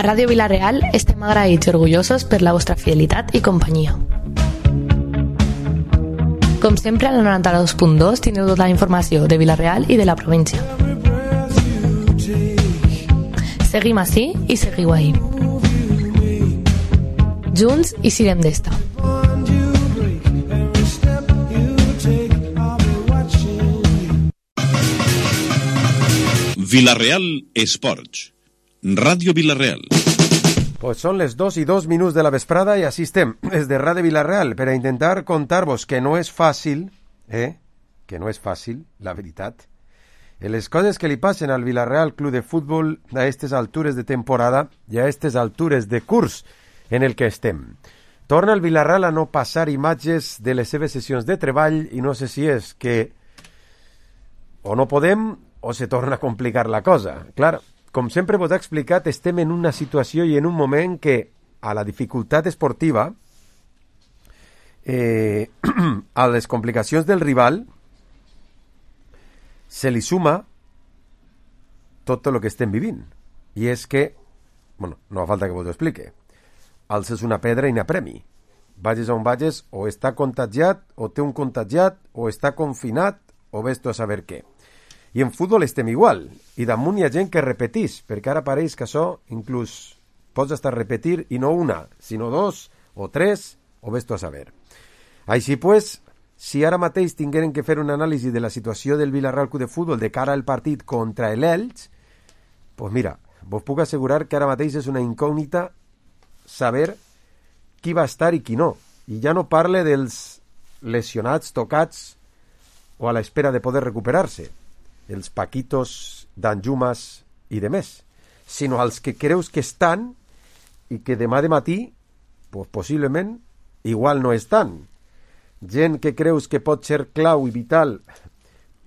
A Ràdio Vila-real estem agraïts i orgullosos per la vostra fidelitat i companyia. Com sempre, al 92.2 teniu tota la informació de Vila-real i de la província. Seguim ací i seguiu ahí. Junts i siguem d'esta. Vila-real Esports. Ràdio Vila-real. Pues són les 2:02 de la vesprada i així estem, des de Ràdio Vila-real, per a intentar contar-vos que no és fàcil, que no és fàcil, la veritat, les coses que li passen al Vila-real Club de Futbol a aquestes altures de temporada i a aquestes altures de curs en el que estem. Torna el Vila-real a no passar imatges de les seves sessions de treball i no sé si és que o no podem o se torna a complicar la cosa. Clar, com sempre vos he explicat, estem en una situació i en un moment que a la dificultat esportiva, a les complicacions del rival, se li suma tot el que estem vivint. I és que, bueno, no fa falta que vos ho explique, alces una pedra i n'apremi. Vages on vages, o està contagiat, o té un contagiat, o està confinat, o ves tu a saber què. I en futbol estem igual, i damunt hi ha gent que repetís, perquè ara pareix que això inclús pots estar repetir, i no una, sinó dos, o tres, o ves tu a saber. Així pues, si ara mateix tingueren que fer un anàlisi de la situació del Vila-real Club de Futbol de cara al partit contra l'Elx, pues mira, vos puc assegurar que ara mateix és una incògnita saber qui va estar i qui no. I ja no parle dels lesionats, tocats, o a l'espera de poder recuperar-se, els paquitos, d'anjumas i de més, sinó als que creus que estan i que demà de matí, pues, possiblement, igual no estan. Gent que creus que pot ser clau i vital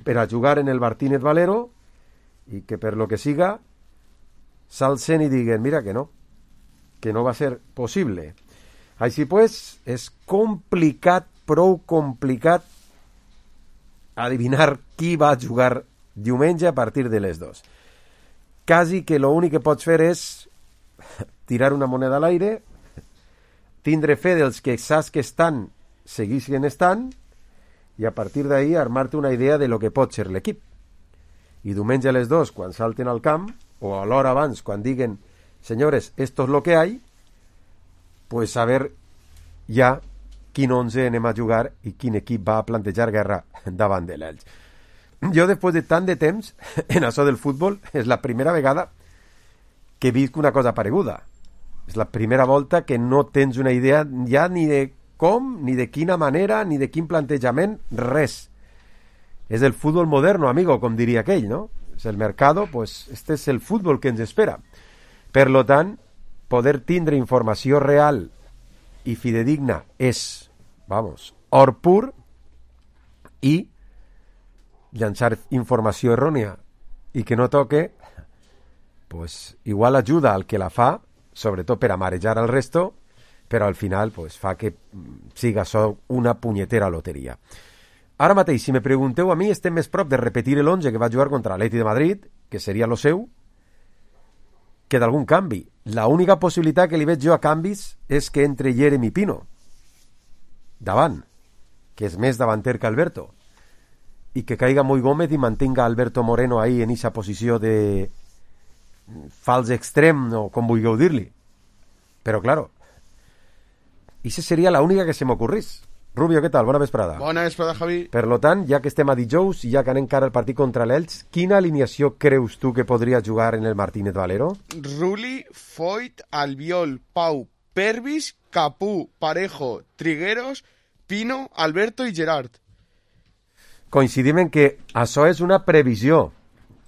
per a jugar en el Martínez Valero i que per lo que siga s'alcen i diguen, mira que no va ser possible. Així pues, és complicat, prou complicat adivinar qui va jugar diumenge a partir de les 2. Quasi que l'únic que pots fer és tirar una moneda a l'aire, tindre fe dels que saps que estan, seguissin estant, i a partir d'ahí armar-te una idea de lo que pot ser l'equip. I diumenge a les 2, quan salten al camp, o a l'hora abans, quan diguen, senyores, esto es lo que hay, pues saber ja quin 11 anem a jugar i quin equip va a plantejar guerra davant de l'Elx. Jo, després de tant de temps en això del futbol, és la primera vegada que visc una cosa pareguda. És la primera volta que no tens una idea ja ni de com, ni de quina manera, ni de quin plantejament, res. És el futbol moderno, amigo, com diria aquell, no? És el mercado, pues este és el futbol que ens espera. Per lo tant, poder tindre informació real i fidedigna és, vamos, or pur, i llançar informació errònia i que no toque, pues igual ajuda al que la fa, sobretot per a marejar al resto, però al final pues, fa que siga això una punyetera loteria. Ara mateix, si me pregunteu a mi, estem més prop de repetir l'11 que va jugar contra l'Atleti de Madrid, que seria lo seu, que d'algun canvi. La única possibilitat que li veig jo a canvis és que entre Jeremy Pino davant, que és més davanter que Alberto, i que caiga Moi Gómez i mantenga Alberto Moreno ahí en esa posició de fals extrem, o com vulgueu dir-li. Però, claro, esa seria la única que se m'ocorrís. Rubio, què tal? Bona vesprada. Bona vesprada, Javi. Per lo tant, ja que estem a dijous i ja que anem cara al partit contra l'Elx, quina alineació creus tu que podria jugar en el Martínez Valero? Ruli, Foyt, Albiol, Pau, Pervis, Capú, Parejo, Trigueros, Pino, Alberto i Gerard. Coincidim en que això és una previsió,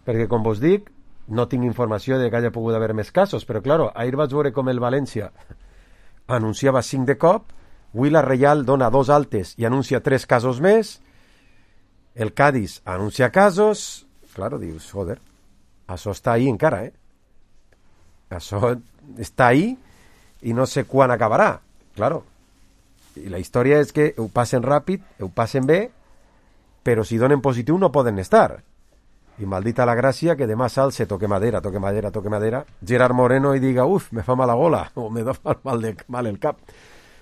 perquè, com vos dic, no tinc informació de que hagi pogut haver més casos, però, claro, ahir vaig veure com el València anunciava 5 de cop, avui la Reial dona 2 altes i anuncia 3 casos més, el Cádiz anuncia casos, claro, dius, joder, això està ahí encara, Això està ahí i no sé quan acabarà, claro. I la història és que ho passen ràpid, ho passen bé, però si donen positiu no poden estar. i maldita la gràcia que demà s'alce, toque madera, Gerard Moreno i diga, uf, me fa mal la gola, o me da mal el cap.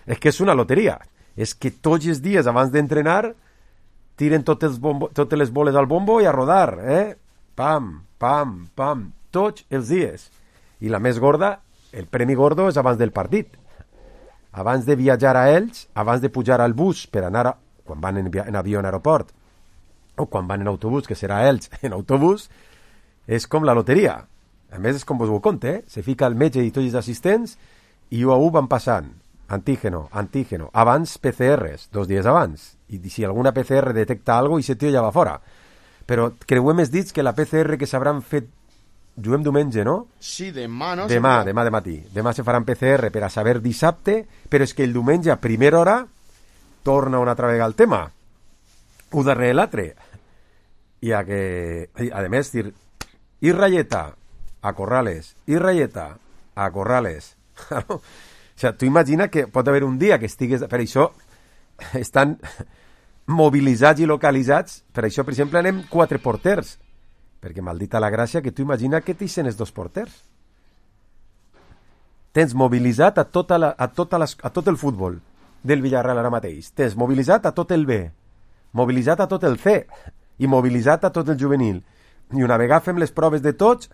És que és una loteria. És que tots els dies abans d'entrenar tiren totes les boles al bombo i a rodar, Pam, pam, pam, tots els dies. I la més gorda, el premi gordo és abans del partit. Abans de viatjar a ells, abans de pujar al bus per anar, quan van en avió en aeroport, o quan van en autobús, que serà ells en autobús, és com la loteria. A més, és com vos ho conte, se fica el metge i tots els assistents i u a u van passant. Antígeno. Abans PCRs, 2 dies abans. I si alguna PCR detecta algo, i se tio ja va fora. Però creuem els dits que la PCR que s'hauran fet... Juguem diumenge, no? Sí, demà, no? Demà de matí. Demà se faran PCR per a saber dissabte, però és que el diumenge a primera hora torna una altra vegada el tema. Un darrere l'altre. I a més, dir, i ratlleta a Corrales, i ratlleta a Corrales. O sigui, tu imagina que pot haver un dia que estigues... Per això estan mobilitzats i localitzats. Per això, per exemple, anem 4 porters. Perquè maldita la gràcia que tu imagina que t'hicen els 2 porters. Tens mobilitzat a tot el futbol del Villarreal ara mateix. Tens mobilitzat a tot el B, mobilitzat a tot el C i mobilitzat a tot el juvenil. I una vegada fem les proves de tots,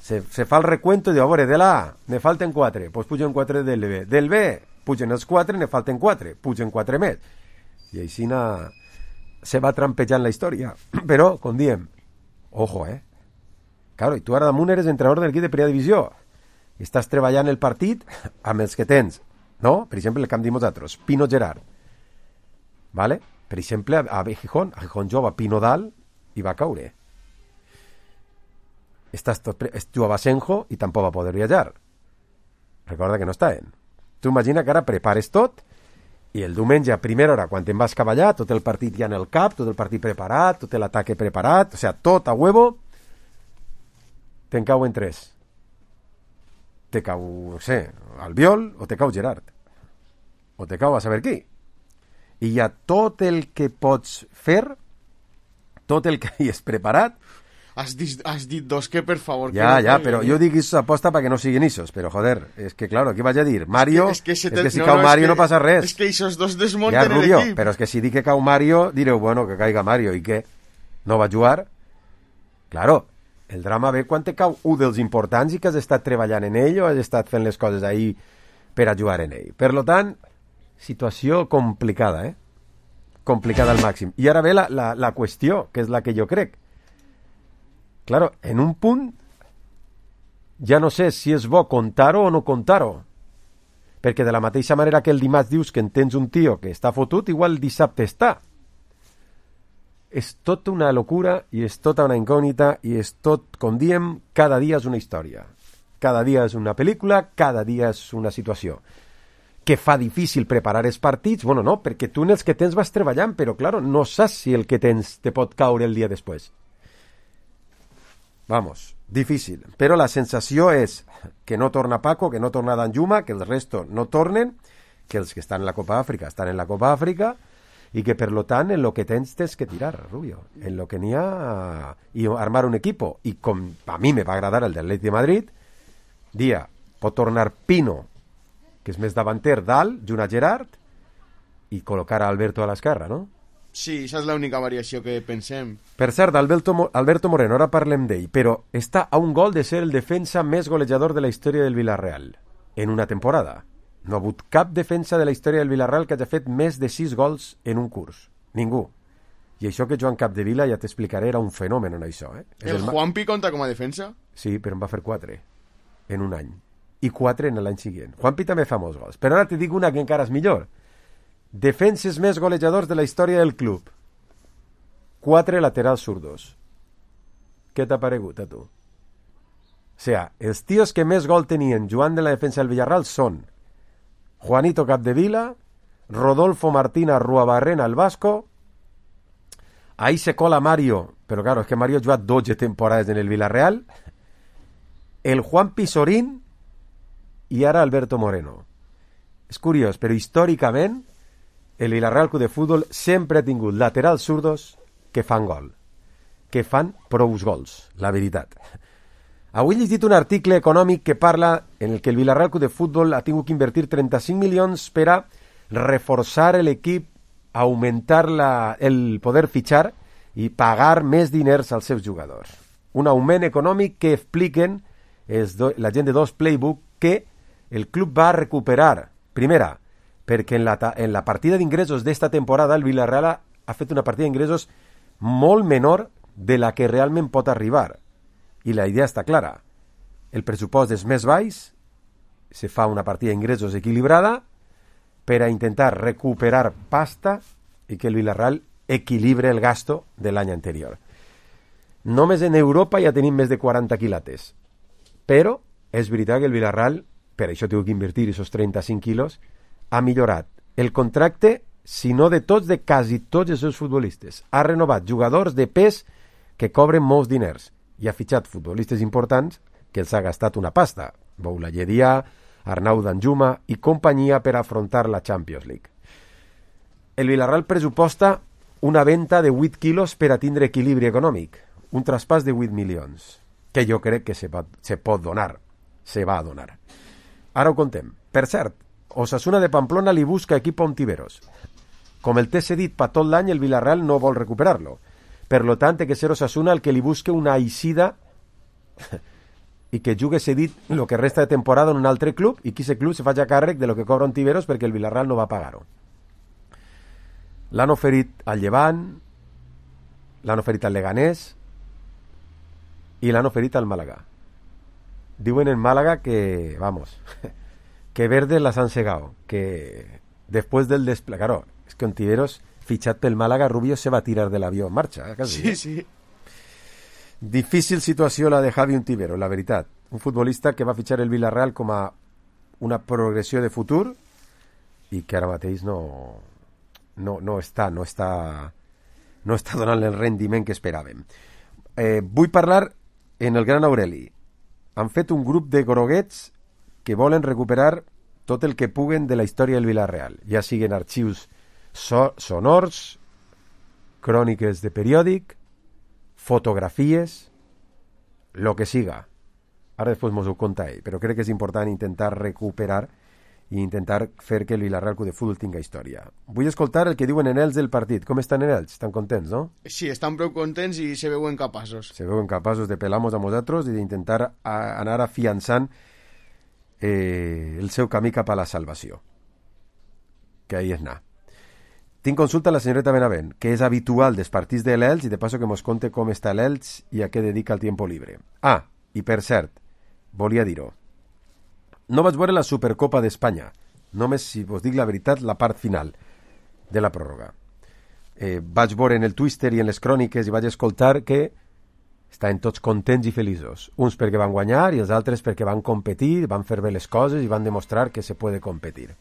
se fa el recuento i diu, a veure, de la A ne falten 4, doncs pugen 4 del B. Del B pugen els 4, ne falten 4, pugen 4 més. I així se va trampejant la història. Però, com diem, ojo, Claro, i tu ara damunt eres entrenador de l'equip de primera divisió. I estàs treballant el partit amb els que tens, no? Per exemple, el que hem dit nosaltres, Pino Gerard. ¿Vale? Per exemple, a Gijón jove Pino dalt i va caure. Jugava Senjo i tampoc va poder viatjar. Recorda que no estaven. Tu imagina que ara prepares tot i el diumenge a primera hora, quan te'n vas cap allà, tot el partit ja en el cap, tot el partit preparat, tot l'ataque preparat, o sigui, tot a huevo, te'n cau en 3. Te cau, no sé, Albiol, o te cau Gerard. O te cau a saber qui. I ja tot el que pots fer, tot el que hi és preparat... Has dit 2 que, per favor... Ja, però jo dic això aposta perquè no siguin isos, però joder, és que claro, què vaig a dir? Mario, és que si cau Mario no passa res. És que esos 2 desmunten l'equip. Però és que si dic que cau Mario, direu, bueno, que caiga Mario, i què? No va jugar? Claro, el drama ve quan te cau un dels importants i que has estat treballant en ell o has estat fent les coses ahí per a jugar en ell. Per lo tant, situació complicada, complicada al màxim. I ara ve la qüestió, que és la que jo crec. Claro, en un punt ja no sé si és bo contar-ho o no contar-ho. Perquè de la mateixa manera que el dimarts dius que en tens un tio que està fotut, igual el dissabte està. És tota una locura i és tota una incògnita i és tot, com diem, cada dia és una història. Cada dia és una pel·lícula, cada dia és una situació. Que fa difícil preparar els partits? Bueno, no, perquè tu en els que tens vas treballant, però, claro, no saps si el que tens te pot caure el dia després. Vamos, difícil. Però la sensació és que no torna Paco, que no torna Danjuma, que el resto no tornen, que els que estan en la Copa Àfrica estan en la Copa Àfrica i que, per lo tant, en lo que tens que tirar, Rubio. En lo que n'hi ha... I armar un equipo. I com a mi me va agradar el del Atlètic de Madrid, pot tornar Pino, que és més davanter, dalt, junt a Gerard, i col·locar a Alberto a l'esquerra, no? Sí, esa és l'única variació que pensem. Per cert, Alberto Moreno, ara parlem d'ell, però està a un gol de ser el defensa més golejador de la història del Villarreal, en una temporada. No ha hagut cap defensa de la història del Villarreal que hagi fet més de 6 gols en un curs. Ningú. I això que Joan Capdevila, ja t'explicaré, era un fenomen en això. El Juanpi compta com a defensa? Sí, però en va fer 4 en un any. I 4 en l'any següent. Juanpi també fa molts gols. Però ara te dic una que encara és millor. Defenses més golejadors de la història del club. 4 laterals zurdos. Què t'ha paregut a tu? O sigui, els tios que més gol tenien jugant de la defensa del Villarreal són Juanito Capdevila, Rodolfo Martín Arruabarrena el Vasco, ahí se cola Mario, però claro, és que Mario ha jugat 12 temporades en el Villarreal, el Juan Pisorín i ara Alberto Moreno. És curiós, però històricament el Villarreal Club de Futbol sempre ha tingut laterals zurdos que fan gol. que fan prous gols, la veritat. Avui he llegit un article econòmic que parla en el que el Villarreal Club de Futbol ha tingut que invertir 35 milions per a reforçar l'equip, augmentar el poder fitxar i pagar més diners als seus jugadors. Un augment econòmic que expliquen la gent de Dos Playbook que el club va recuperar. Primera, perquè en la partida d'ingressos d'esta temporada el Villarreal ha fet una partida d'ingressos molt menor de la que realment pot arribar. I la idea està clara. El pressupost és més baix, se fa una partida d'ingressos equilibrada per a intentar recuperar pasta i que el Villarreal equilibre el gasto de l'any anterior. Només en Europa ja tenim més de 40 quilates. Però és veritat que el Villarreal, per això té que invertir aquests 35 quilos, ha millorat el contracte, si no de tots, de quasi tots els seus futbolistes. Ha renovat jugadors de pes que cobren molts diners i ha fitxat futbolistes importants que els ha gastat una pasta. Boulaye Dia, Arnau Danjuma i companyia per afrontar la Champions League. El Villarreal pressuposta una venda de 8 quilos per a tindre equilibri econòmic, un traspàs de 8 milions, que jo crec que se pot donar, se va a donar. Ara ho contem. Per cert, Osasuna de Pamplona li busca equip a Ontiveros. Com el té cedit per tot l'any, el Villarreal no vol recuperar-lo. Per lo tant, té que ser Osasuna el que li busque una eixida i que jugui cedit el que resta de temporada en un altre club i que aquest club se faci càrrec de lo que cobra Ontiveros perquè el Villarreal no va pagar-ho. L'han oferit al Llevant, l'han oferit al Leganés i l'han oferit al Màlaga. Diuen en Málaga que, vamos, que Verdes las han segado, que después del despliegue, claro, es que Ontiveros, fichat pel Málaga, Rubio se va a tirar del avió en marxa. Quasi. Sí. Difícil situació la de Javi Ontiveros, la veritat. Un futbolista que va fitxar el Villarreal com a una progressió de futur i que ara mateix no està donant el rendiment que esperàvem. Vull parlar en el Gran Aureli. Han fet un grup de groguets que volen recuperar tot el que puguen de la història del Villarreal, ja siguin arxius sonors, cròniques de periòdic, fotografies, lo que siga. Ara després mos ho conta ell, però crec que és important intentar recuperar i intentar fer que el Villarreal Club de Futbol tinga història. Vull escoltar el que diuen en ells del partit. Com estan en ells? Estan contents, no? Sí, estan prou contents i se veuen capaços. Se veuen capaços de pelar-nos a nosaltres i d'intentar anar afiançant el seu camí cap a la salvació. Que ahí és anar. Tinc consulta a la senyoreta Benavent, que és habitual dels partits de l'Elx i de passo que mos conte com està l'Elx i a què dedica el tiempo libre. Ah, i per cert, volia dir-ho. No vaig veure la Supercopa d'Espanya, només, si vos dic la veritat, la part final de la pròrroga. Vaig veure en el Twitter i en les cròniques i vaig escoltar que estaven tots contents i feliços. Uns perquè van guanyar i els altres perquè van competir, van fer bé les coses i van demostrar que se puede competir.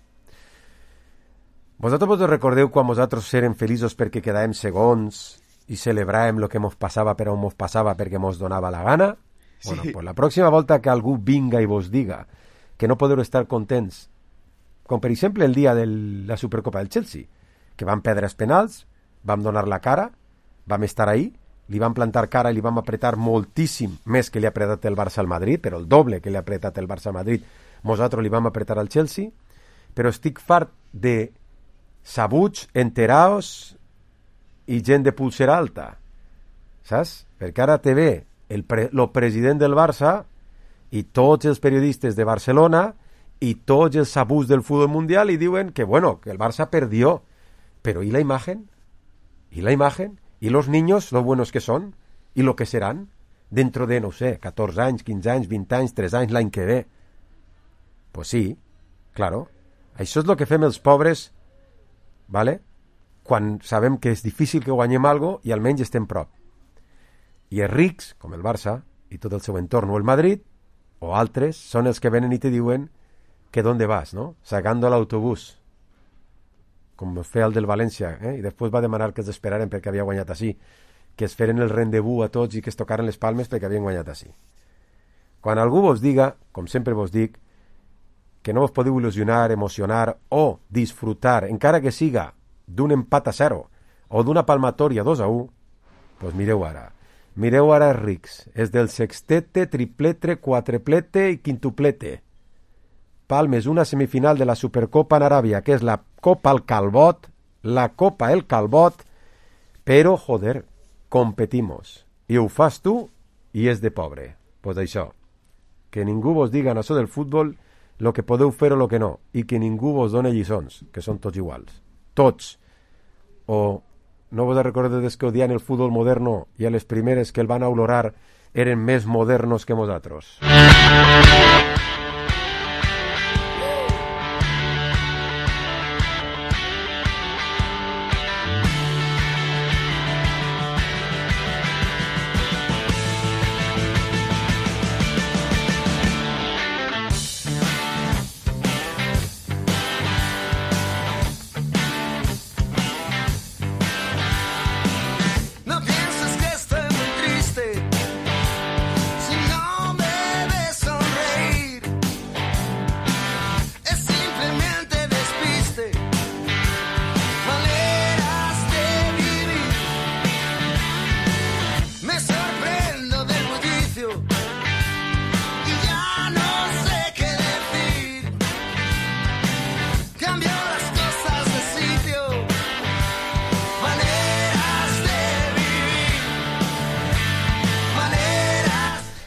Vosaltres vos recordeu quan vosaltres érem feliços perquè quedàvem segons i celebràvem el que mos passava per on mos passava perquè mos donava la gana? Sí. Bueno, pues la pròxima volta que algú vinga i vos diga que no podeu estar contents, com per exemple el dia de la Supercopa del Chelsea, que vam perdre els penals, vam donar la cara, vam estar ahí, li vam plantar cara i li vam apretar moltíssim més que li ha apretat el Barça al Madrid, però el doble que li ha apretat el Barça al Madrid, nosaltres li vam apretar al Chelsea, però estic fart de sabuts, enteraos i gent de pulsera alta, saps? Perquè ara te ve el president del Barça i tots els periodistes de Barcelona y tots els sabuts del fútbol mundial y diuen que, bueno, que el Barça perdió. Pero ¿y la imagen? ¿Y la imagen? ¿Y los niños, lo buenos que son? ¿Y lo que serán? Dentro de, no sé, 14 anys, 15 anys, 20 anys, 3 anys, l'any que ve. Pues sí, claro. Això és el que fem els pobres, ¿vale? Quan sabem que és difícil que guanyem algo i almenys estem prop. I els rics, com el Barça, i tot el seu entorn, o el Madrid, o altres, són els que venen i te diuen que d'on vas, no? Sacando l'autobús, com feia el del València, i després va demanar que els esperaren perquè havia guanyat així, que es feren el rendezvous a tots i que es tocaren les palmes perquè havien guanyat així. Quan algú vos diga, com sempre vos dic, que no vos podeu il·lusionar, emocionar o disfrutar, encara que siga d'un empat a 0 o d'una palmatòria 2-1, doncs mireu ara. Mireu ara els rics. És del sextete, triplete, quatreplete i quintuplete. Palmes, una semifinal de la Supercopa en Aràbia, que és la Copa al Calbot, la Copa el Calbot, però, joder, competimos. I ho fas tu i és de pobre. Pues això, que ningú vos diga en això del futbol lo que podeu fer o lo que no, i que ningú vos done lliçons, que són tots iguals. Tots. O no vos recordeu que odiant el futbol moderno i a les primeres que el van a olorar eren més modernos que vosaltres.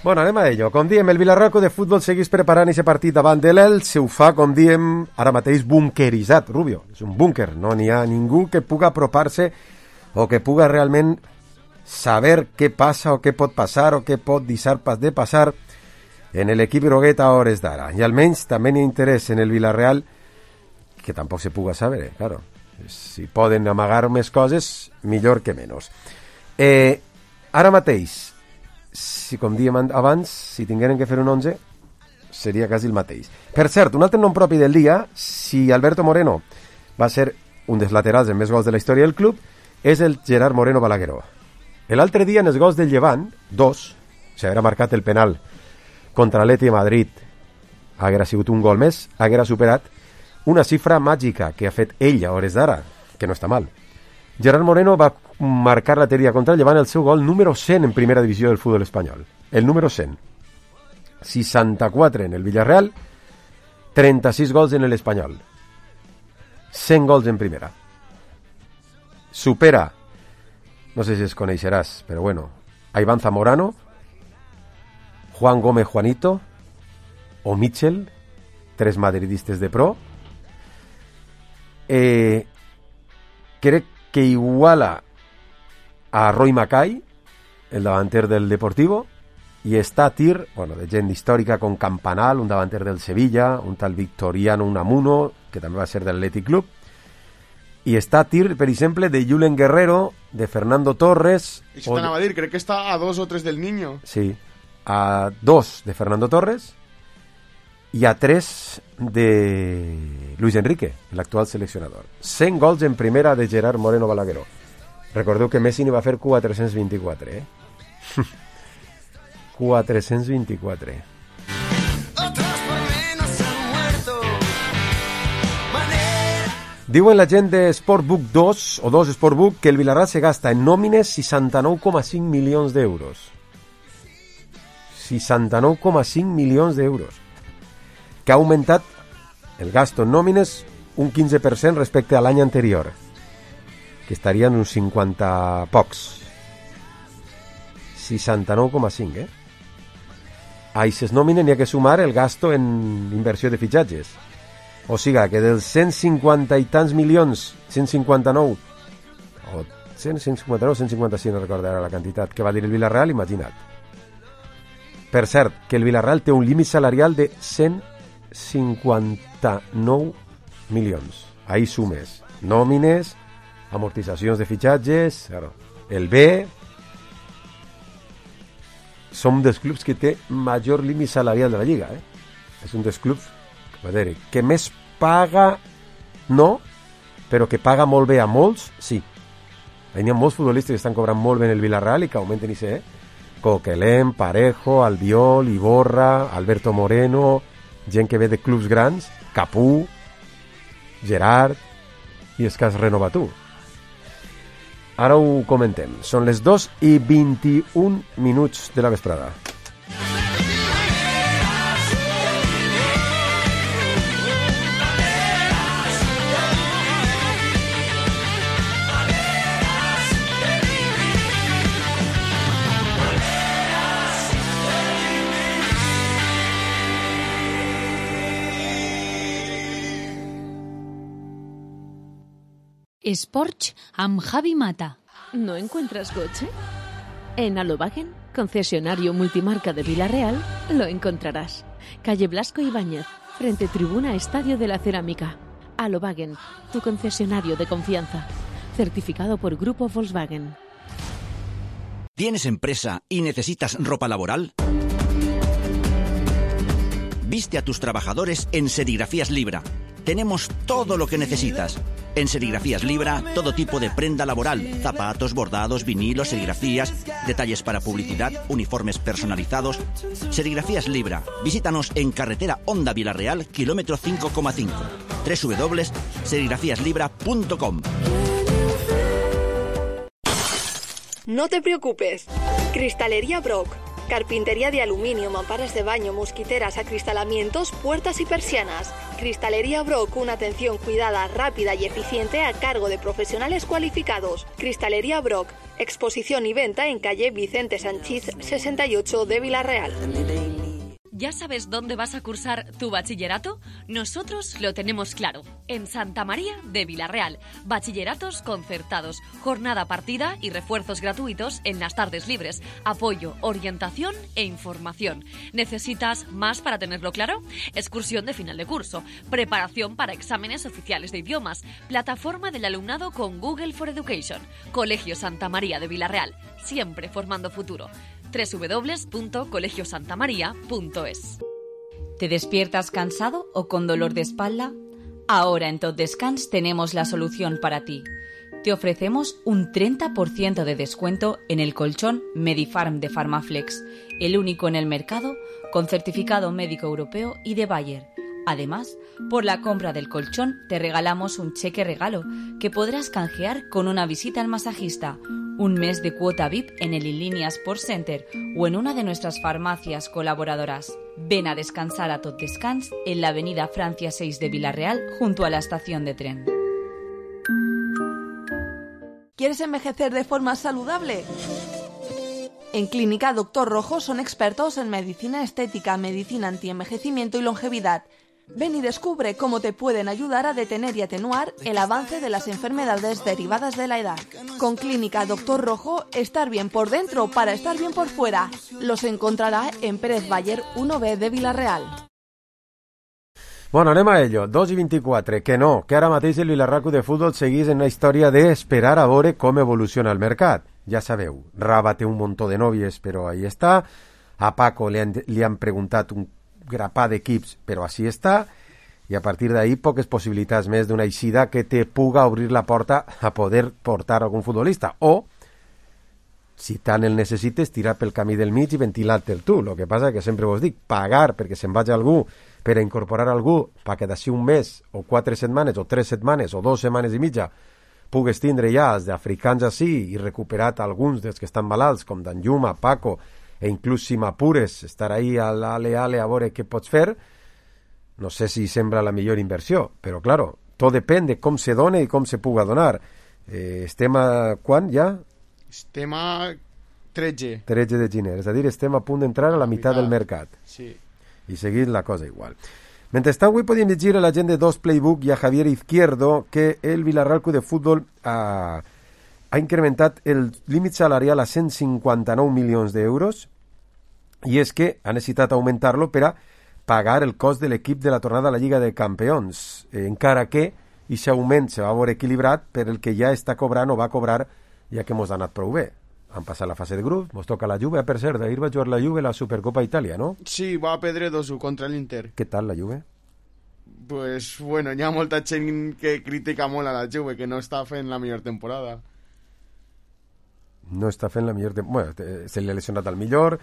Bueno, anem a ello. Com diem, el Vilarroco de futbol segueix preparant aquest partit davant de l'Elx. Ho fa, com diem, ara mateix bunkeritzat, Rubio. És un búnquer. No n'hi ha ningú que puga apropar-se o que puga realment saber què passa o què pot passar o què pot deixar de passar en l'equip groguet a hores d'ara. I almenys també n'hi ha interès en el Villarreal, que tampoc se puga saber, claro. Si poden amagar més coses, millor que menys. Ara mateix, si, com diem abans, si tingueren que fer un 11, seria quasi el mateix. Per cert, un altre nom propi del dia, si Alberto Moreno va ser un dels laterals amb més gols de la història del club, és el Gerard Moreno Balagueró. L'altre dia, en els gols del Llevant, 2, s'haguera marcat el penal contra l'Atlètic de Madrid, haguera sigut un gol més, haguera superat una xifra màgica que ha fet ell a hores d'ara, que no està mal. Gerard Moreno va marcar la teria contra el Llevant el seu gol número 100 en primera divisió del futbol espanyol. El número 100. 64 en el Villarreal, 36 gols en l'Espanyol. 100 gols en primera. Supera, no sé si es coneixeràs, però bueno, a Iván Zamorano, Juan Gómez Juanito o Mitchell, 3 madridistes de pro. Crec que iguala a Roy Mackay, el davanter del Deportivo, i està a tir, bueno, de gent històrica com Campanal, un davanter del Sevilla, un tal Victoriano Unamuno, que també va ser del Athletic Club, i està a tir, per exemple, de Julen Guerrero, de Fernando Torres... Això t'anava a dir, crec que està a 2 o 3 del Niño. Sí, a 2 de Fernando Torres i a 3 de Luis Enrique, l'actual seleccionador. 100 gols en primera de Gerard Moreno Balagueró. Recordeu que Messi n'hi va fer 424, eh? 424. Diuen la gent de Sportbook 2 o 2 Sportbook que el Villarreal se gasta en nòmines 69,5 milions d'euros. 69,5 milions d'euros. Que ha augmentat el gasto en nòmines un 15% respecte a l'any anterior, que estarien uns 50 pocs. 69,5, eh? A aquestes nòmines n'hi ha que sumar el gasto en inversió de fitxatges. O sigui, que dels 150 i tants milions, 159, o 159, 155, no recordo ara la quantitat, que va dir el Villarreal, imagina't. Per cert, que el Villarreal té un límit salarial de 159 milions. Ahí sumes nòmines, amortitzacions de fitxatges, claro. El B, som dels clubs que té major límit salarial de la Lliga, eh? És un dels clubs que més paga, no, però que paga molt bé a molts, sí. Hi ha molts futbolistes que estan cobrant molt bé en el Villarreal i que augmenten i sé, Coquelin, Parejo, Albiol, Iborra, Alberto Moreno, gent que ve de clubs grans, Capú, Gerard, i és que has renovat tu. ara ho comentem. Són les 2:21 de la vesprada. Sports amb Javi Mata. ¿No encuentras coche? En Alobagen, concesionario multimarca de Vila-real, lo encontrarás. Calle Blasco Ibáñez, frente Tribuna Estadio de la Cerámica. Alobagen, tu concesionario de confianza. Certificado por Grupo Volkswagen. ¿Tienes empresa y necesitas ropa laboral? Viste a tus trabajadores en Serigrafías Libra. Tenemos todo lo que necesitas. En Serigrafías Libra, todo tipo de prenda laboral, zapatos, bordados, vinilos, serigrafías, detalles para publicidad, uniformes personalizados. Serigrafías Libra. Visítanos en carretera Honda Vila-real, kilómetro 5,5. www.serigrafiaslibra.com. No te preocupes. Cristalería Brock. Carpintería de aluminio, mamparas de baño, mosquiteras, acristalamientos, puertas y persianas. Cristalería Brock, una atención cuidada, rápida y eficiente a cargo de profesionales cualificados. Cristalería Brock, exposición y venta en calle Vicente Sanchís 68 de Vila-real. ¿Ya sabes dónde vas a cursar tu bachillerato? Nosotros lo tenemos claro. En Santa María de Vila-real. Bachilleratos concertados, jornada partida y refuerzos gratuitos en las tardes libres. Apoyo, orientación e información. ¿Necesitas más para tenerlo claro? Excursión de final de curso. Preparación para exámenes oficiales de idiomas. Plataforma del alumnado con Google for Education. Colegio Santa María de Vila-real. Siempre formando futuro. www.colegiosantamaria.es. ¿Te despiertas cansado o con dolor de espalda? Ahora en Tot Descans tenemos la solución para ti. Te ofrecemos un 30% de descuento en el colchón Medifarm de Farmaflex, el único en el mercado con certificado médico europeo y de Bayer. Además, por la compra del colchón te regalamos un cheque regalo que podrás canjear con una visita al masajista, un mes de cuota VIP en el Inlínea Sport Center o en una de nuestras farmacias colaboradoras. Ven a descansar a Tot Descans en la avenida Francia 6 de Vila-real junto a la estación de tren. ¿Quieres envejecer de forma saludable? En Clínica Doctor Rojo son expertos en medicina estética, medicina antienvejecimiento y longevidad. Ven y descubre cómo te pueden ayudar a detener y atenuar el avance de las enfermedades derivadas de la edad. Con Clínica Doctor Rojo, estar bien por dentro para estar bien por fuera. Los encontrará en Pérez Bayer 1B de Vila-real. Bueno, anem a ello. 2:24, que no, que ara mateix el Vilarraco de futbol seguís en una història d'esperar a veure com evoluciona el mercat. Ja sabeu, Raba té un muntó de nòvies, però ahí està. A Paco li han preguntat un grapà d'equips, però així està, i a partir d'ahí poques possibilitats més d'una eixida que te puga obrir la porta a poder portar algun futbolista, o si tant el necessites, tirar pel camí del mig i ventilar-te'l tu. El que passa que sempre vos dic, pagar perquè se'n vagi algú, per a incorporar algú, perquè d'ací un mes, o 4 setmanes, o 3 setmanes, o 2 setmanes i mitja, pugues tindre ja els d'africans així i recuperat alguns dels que estan malalts, com Danjuma, Paco, e inclús si m'apures, estar ahí a l'ale a veure què pots fer, no sé si sembla la millor inversió, però claro, tot depèn de com se dona i com se puga donar. Estem a quan ja? Estem a 13. 13 de gener, és a dir, estem a punt d'entrar a la meitat del mercat. Sí. I seguint la cosa igual. Mentrestant, avui podíem llegir a la gent de Dos Playbook i a Javier Izquierdo que el Vilarraco de futbol ha incrementat el límit salarial a 159 milions d'euros i és que ha necessitat augmentar-lo per a pagar el cost de l'equip de la tornada a la Lliga de Campions, encara que aquest augment se va veure equilibrat per el que ja està cobrant o va cobrar ja que mos ha anat prou bé. Han passat la fase de grup, mos toca la Juve, per cert, d'ahir va jugar la Juve la Supercopa Itàlia, ¿no? Sí, va a Pedredoso contra l'Inter. Què tal la Juve? Pues bueno, hi ha molta gent que critica molt a la Juve, que no està fent la millor temporada. No està fent la millor temporada. Bueno, se li ha lesionat al millor.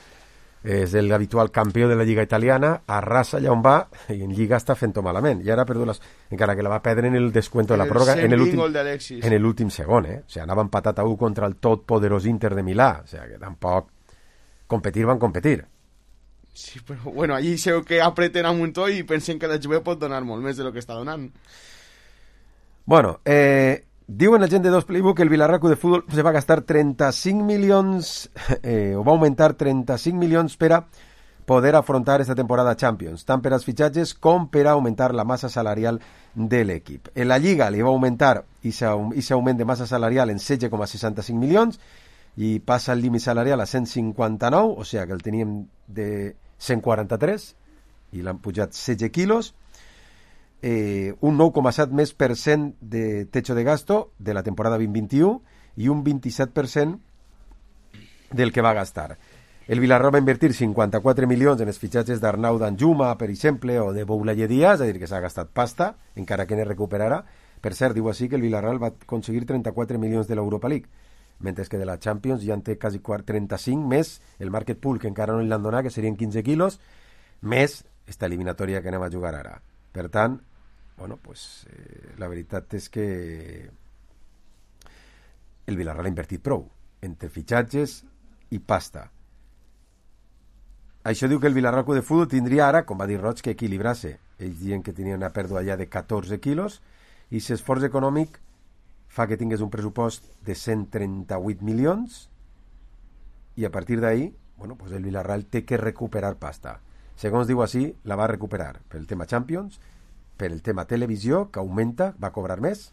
és l'habitual campió de la Lliga italiana, arrasa allà on va, i en Lliga està fent-ho malament. I ara ha perdut encara que la va perdre en el descuento de la pròrroga, en l'últim segon, O sigui, anava empatat a 1 contra el totpoderós Inter de Milà. O sigui, que tampoc van competir. Sí, però bueno, allí sé que apreten a muntó i pensen que la Juve pot donar molt més de lo que està donant. Bueno, diuen la gent de Dos Playbook que el Villarreal de Fútbol se va gastar 35 milions, o va augmentar 35 milions per a poder afrontar esta temporada Champions, tant per als fitxatges com per a augmentar la massa salarial de l'equip. En la Lliga li va augmentar aquest augment de massa salarial en 16,65 milions i passa el límit salarial a 159, o sigui que el teníem de 143 i l'han pujat 16 quilos. Un 9,7% més de techo de gasto de la temporada 2021 i un 27% del que va gastar. El Villarreal va invertir 54 milions en els fitxatges d'Arnau Danjuma, per exemple, o de Boulaye Díaz, és a dir, que s'ha gastat pasta, encara que ne recuperarà. Per cert, diu així que el Villarreal va aconseguir 34 milions de l'Europa League, mentre que de la Champions ja en té quasi 35, més el market pool, que encara no li han donat, que serien 15 quilos, més esta eliminatòria que anem a jugar ara. Per tant, bueno, pues, la veritat és que el Villarreal ha invertit prou entre fitxatges i pasta. Això diu que el Villarreal de Futbol tindria ara, com va dir Roig, que equilibrar-se. Ells diuen que tenia una pèrdua ja de 14 quilos i l'esforç econòmic fa que tingués un pressupost de 138 milions i a partir d'ahí, bueno, pues el Villarreal té que recuperar pasta. Segons diu així, la va recuperar pel tema Champions, per el tema televisió, que augmenta, va cobrar més,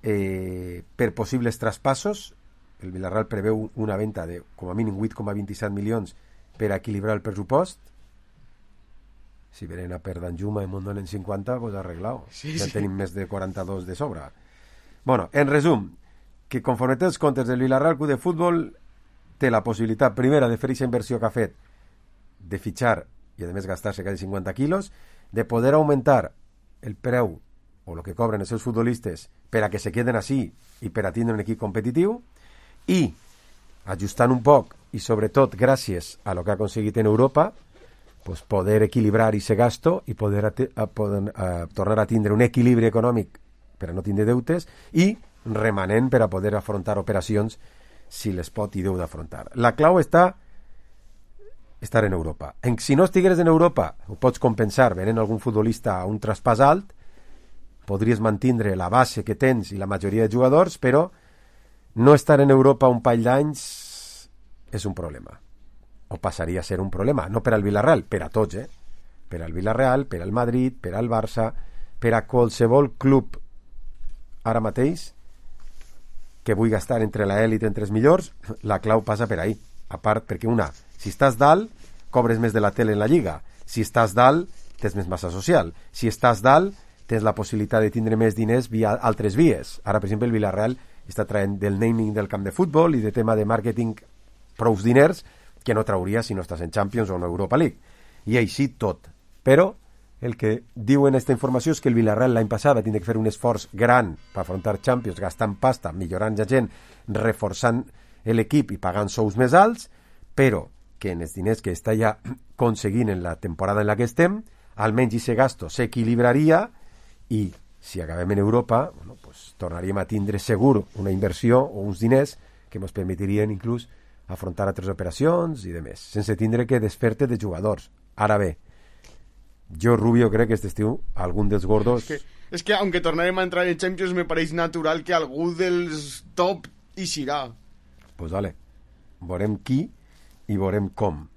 per possibles traspassos. El Villarreal preveu una venda de com a mínim 8,27 milions per equilibrar el pressupost. Si venen a per Danjuma i Mondon en 50, pues arreglado. Sí, ja tenim més de 42 de sobre. Bueno, en resum, que conforme té els comptes del Villarreal Club de Futbol, té la possibilitat primera de fer aquesta inversió que ha fet, de fitxar i a més gastar-se quasi 50 quilos, de poder augmentar el preu o el que cobren els seus futbolistes per a que se queden així i per a tindre un equip competitiu, i ajustant un poc i sobretot gràcies a lo que ha aconseguit en Europa, pues poder equilibrar aquest gasto i poder tornar a tindre un equilibri econòmic per a no tindre deutes i remanent per a poder afrontar operacions si les pot i deu d'afrontar. La clau està estar en Europa. Si no estigueres en Europa, ho pots compensar venent algun futbolista a un traspàs alt, podries mantindre la base que tens i la majoria de jugadors, però no estar en Europa un parell d'anys és un problema. O passaria a ser un problema. No per al Villarreal, per a tots, Per al Villarreal, per al Madrid, per al Barça, per a qualsevol club ara mateix que vull gastar entre l'elit entre els millors, la clau passa per ahí. A part, perquè si estàs dalt, cobres més de la tele en la Lliga. Si estàs dalt, tens més massa social. Si estàs dalt, tens la possibilitat de tindre més diners via altres vies. Ara, per exemple, el Villarreal està traient del naming del camp de futbol i de tema de màrqueting prous diners que no trauria si no estàs en Champions o en Europa League. I així tot. Però el que diuen esta informació és que el Villarreal l'any passat va tindre que fer un esforç gran per afrontar Champions, gastant pasta, millorant la gent, reforçant l'equip i pagant sous més alts, però que en els diners que està ja aconseguint en la temporada en la que estem, almenys aquest gasto s'equilibraria i si acabem en Europa, bueno, pues, tornaríem a tindre segur una inversió o uns diners que ens permetirien inclús afrontar altres operacions i demés, sense tindre que desfer-te de jugadors. Ara bé, jo, Rubio, crec que este estiu algun dels gordos... És que aunque tornarem a entrar en Champions, me pareix natural que algú dels top hi serà. Pues vale, veurem qui i veurem com.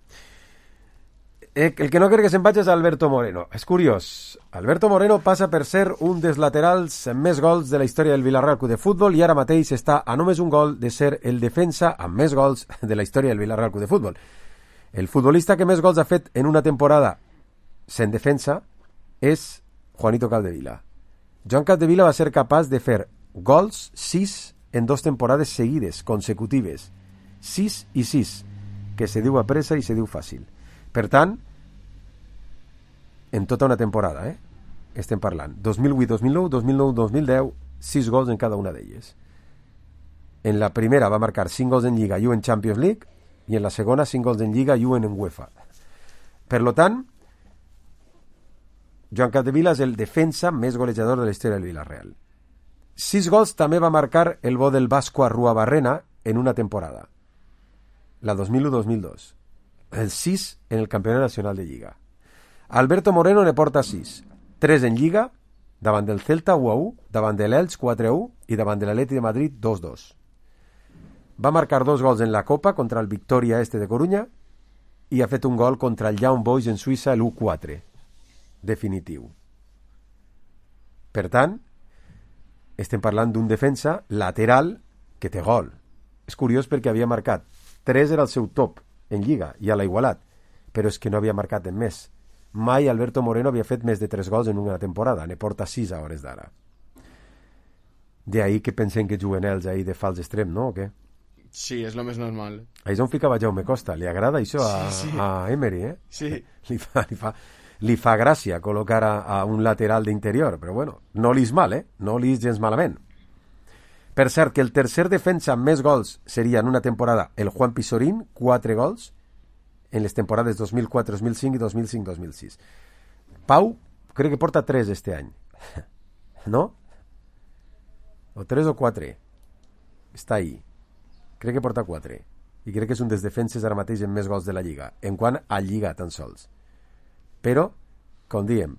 El que no crec que se'n vagi és Alberto Moreno. És curiós, Alberto Moreno passa per ser un dels laterals amb més gols de la història del Villarreal Club de Futbol i ara mateix està a només un gol de ser el defensa amb més gols de la història del Villarreal Club de Futbol. El futbolista que més gols ha fet en una temporada sent defensa és Juanito Capdevila. Joan Capdevila va ser capaç de fer gols 6 en 2 temporades seguides, consecutives. 6 i 6, que se diu a pressa i se diu fàcil. Per tant, en tota una temporada, estem parlant 2008-2009, 2009-2010, 6 gols en cada una d'elles. En la primera va marcar 5 gols en Lliga i 1 en Champions League, i en la segona 5 gols en Lliga i 1 en UEFA. Per lo tant, Joan Capdevila és el defensa més golejador de la història del Villarreal. 6 gols també va marcar el bo del Vasco Arruabarrena en una temporada, la 2001-2002. El 6 en el Campionat Nacional de Lliga. Alberto Moreno ne porta 6. 3 en Lliga, davant del Celta 1-1, davant de l'Elx 4-1 i davant de l'Atleti de Madrid 2-2. Va marcar 2 gols en la Copa contra el Victoria de Corunya i ha fet un gol contra el Young Boys en Suïssa l'1-4. Definitiu. Per tant, estem parlant d'un defensa lateral que té gol. És curiós perquè havia marcat 3 era el seu top en Lliga, ja l'ha igualat, però és que no havia marcat en més. Mai Alberto Moreno havia fet més de 3 gols en una temporada, ne porta 6 a hores d'ara. De ahí que pensem que juguen ells ahí de fals extrem, no? O què? Sí, és lo més normal. Ahí és on ficava Jaume Costa. Li agrada això a Emery, eh? Sí. Li fa gràcia col·locar a un lateral d'interior, però bueno, no li és mal, eh? No li és gens malament. Per cert, que el tercer defensa amb més gols seria en una temporada el Juan Pizorín, 4 gols, en les temporades 2004-2005 i 2005-2006. Pau, crec que porta 3 este any. ¿No? O 3 o 4. Està ahí. Crec que porta 4. I crec que és un dels defenses ara mateix amb més gols de la Lliga, en quant a Lliga tan sols. Però, com diem,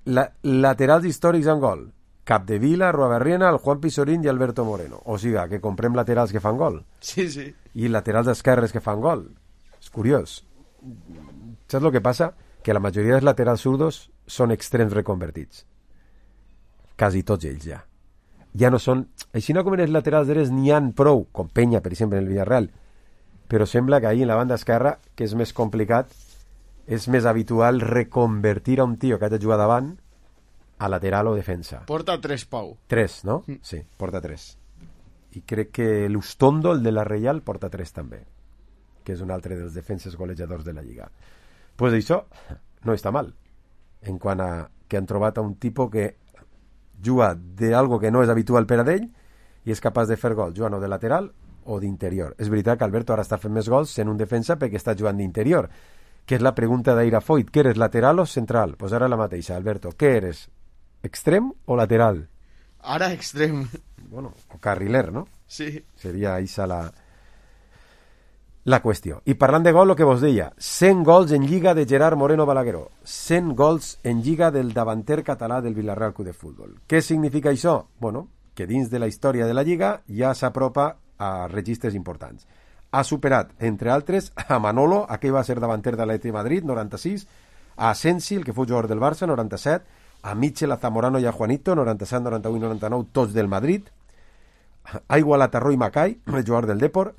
laterals històrics en gol. Capdevila, Arruabarrena, el Juan Pizorín i Alberto Moreno. O sigui, que comprem laterals que fan gol. Sí, sí. I laterals esquerres que fan gol. És curiós. Saps el que passa? Que la majoria dels laterals zurdos són extrems reconvertits. Quasi tots ells ja. Ja no són... Així no com en els laterals drets n'hi ha prou, com Peña, per exemple, en el Villarreal. Però sembla que ahir en la banda esquerra, que és més complicat, és més habitual reconvertir a un tio que ha de jugar davant a lateral o defensa. Porta 3, Pau. 3, no? Sí, porta 3. I crec que l'Ustondo, el de la Reial, porta 3 també, que és un altre dels defenses golejadors de la Lliga. Pues això no està mal, en quant a que han trobat a un tipus que juga d'algo que no és habitual per a ell i és capaç de fer gols, jugant o de lateral o d'interior. És veritat que Alberto ara està fent més gols sent un defensa perquè està jugant d'interior, que és la pregunta d'Aira Foyt, que eres lateral o central? Pues ara la mateixa, Alberto, què eres? Extrem o lateral? Ara extrem. Bueno, o carriler, no? Sí. Seria això la qüestió. I parlant de gol, el que vos deia, 100 gols en Lliga de Gerard Moreno Balagueró, 100 gols en Lliga del davanter català del Villarreal Club de Futbol. Què significa això? Bueno, que dins de la història de la Lliga ja s'apropa a registres importants. Ha superat, entre altres, a Manolo, aquell va ser davanter de l'Atleti de Madrid, 96, a Asensi, el que fou jugador del Barça, 97, a Mitchell, a Zamorano i a Juanito, 97, 91 i 99, tots del Madrid. Ha igualat a Roy Mackay, el jugador del Depor.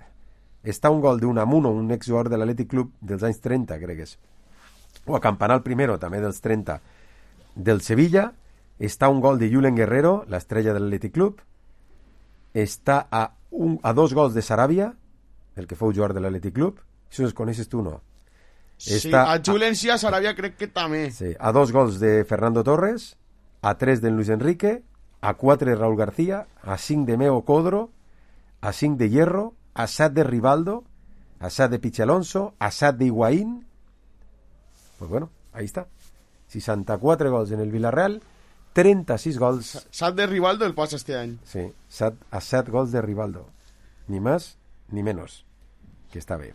Està un gol d'Unamuno, un exjugador de l'Atlètic Club dels anys 30, crec que és. O a Campanal Primero, també dels 30, del Sevilla. Està un gol de Julen Guerrero, l'estrella de l'Atlètic Club. Està a 2 gols de Sarabia, el que fou jugador de l'Atlètic Club. Si els coneixes tu, no. Sí, a Julen sí, a Sarabia crec que també. Sí, a 2 gols de Fernando Torres, a 3 de Luis Enrique, a 4 de Raúl García, a 5 de Meo Codro, a 5 de Hierro, a 7 de Rivaldo, a 7 de Pichi Alonso, a 7 de Higuaín. Pues bueno, ahí está. 64 gols en el Villarreal, 36 gols... 7 de Rivaldo el pasa este any. Sí, 7 gols de Rivaldo. Ni más ni menos. Que està bé.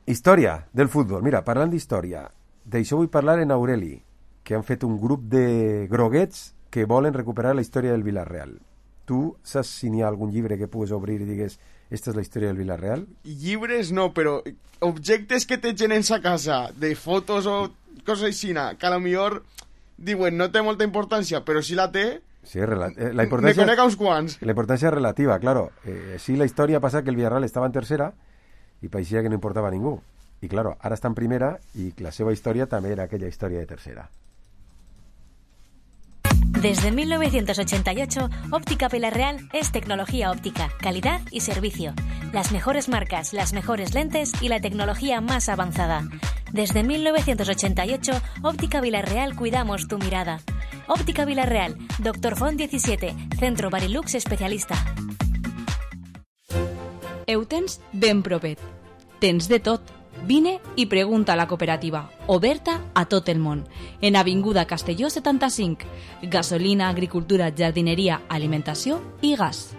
Història del futbol. Mira, parlant d'història, d'això vull parlar en Aureli, que han fet un grup de groguets que volen recuperar la història del Villarreal. Tu saps si n'hi ha algun llibre que pugues obrir i digues esta és la història del Villarreal? Llibres no, però objectes que te llenen a casa, de fotos o coses així, que a lo millor diuen no té molta importància, però si la té, sí, la importància, me conec a uns quants. La importància és relativa, claro. Sí, la història ha passat que el Villarreal estava en tercera i pareixia que no importava a ningú. I claro, ara està en primera i la seva història també era aquella història de tercera. Desde 1988, Óptica Villarreal es tecnología óptica, calidad y servicio. Las mejores marcas, las mejores lentes y la tecnología más avanzada. Desde 1988, Óptica Villarreal cuidamos tu mirada. Óptica Villarreal, Dr. Font 17, Centro Barilux Especialista. Ho tens ben propet. Tens de tot. Vine i pregunta a la cooperativa, oberta a tot el món, en Avinguda Castelló 75. Gasolina, agricultura, jardinería, alimentació i gas.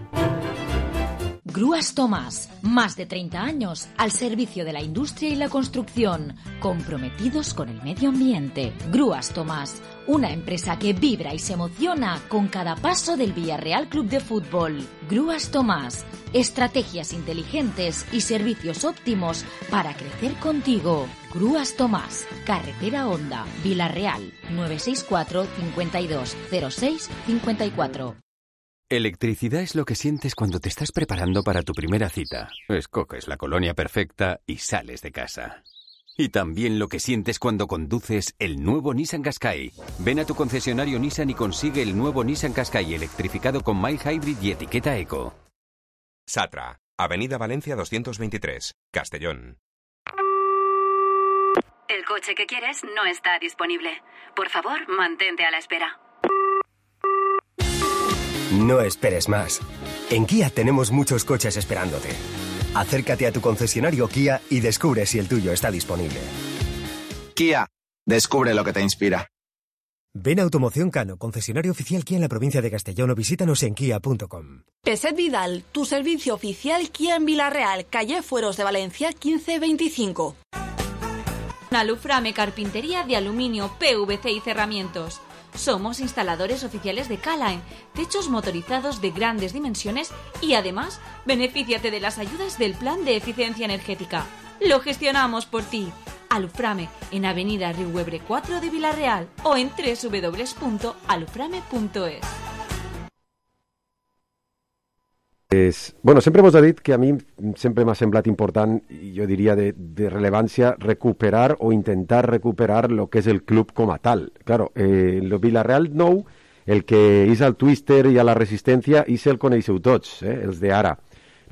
Grúas Tomás, más de 30 años al servicio de la industria y la construcción, comprometidos con el medio ambiente. Grúas Tomás, una empresa que vibra y se emociona con cada paso del Villarreal Club de Fútbol. Grúas Tomás, estrategias inteligentes y servicios óptimos para crecer contigo. Grúas Tomás, Carretera Honda, Villarreal, 964 52 06 54. Electricidad es lo que sientes cuando te estás preparando para tu primera cita. Escoges la colonia perfecta y sales de casa. Y también lo que sientes cuando conduces el nuevo Nissan Qashqai. Ven a tu concesionario Nissan y consigue el nuevo Nissan Qashqai electrificado con mild hybrid y etiqueta eco. Satra, Avenida Valencia 223, Castellón. El coche que quieres no está disponible. Por favor, mantente a la espera. No esperes más. En Kia tenemos muchos coches esperándote. Acércate a tu concesionario Kia y descubre si el tuyo está disponible. Kia, descubre lo que te inspira. Ven a Automoción Cano, concesionario oficial Kia en la provincia de Castellón, o visítanos en kia.com. Peset Vidal, tu servicio oficial Kia en Villarreal, calle Fueros de Valencia 1525. Aluframe Carpintería de Aluminio, PVC y Cerramientos. Somos instaladores oficiales de K-Line, techos motorizados de grandes dimensiones y además, benefíciate de las ayudas del Plan de Eficiencia Energética. Lo gestionamos por ti. Aluframe, en Avenida Riuebre 4 de Villarreal o en www.aluframe.es. Bueno, sempre vos he dit que a mi sempre m'ha semblat important, i jo diria de rellevància, recuperar o intentar recuperar lo que és el club com a tal. Claro, el Villarreal nou, el que és el Twister i a la Resistència, i se'l coneixeu tots, els d'ara.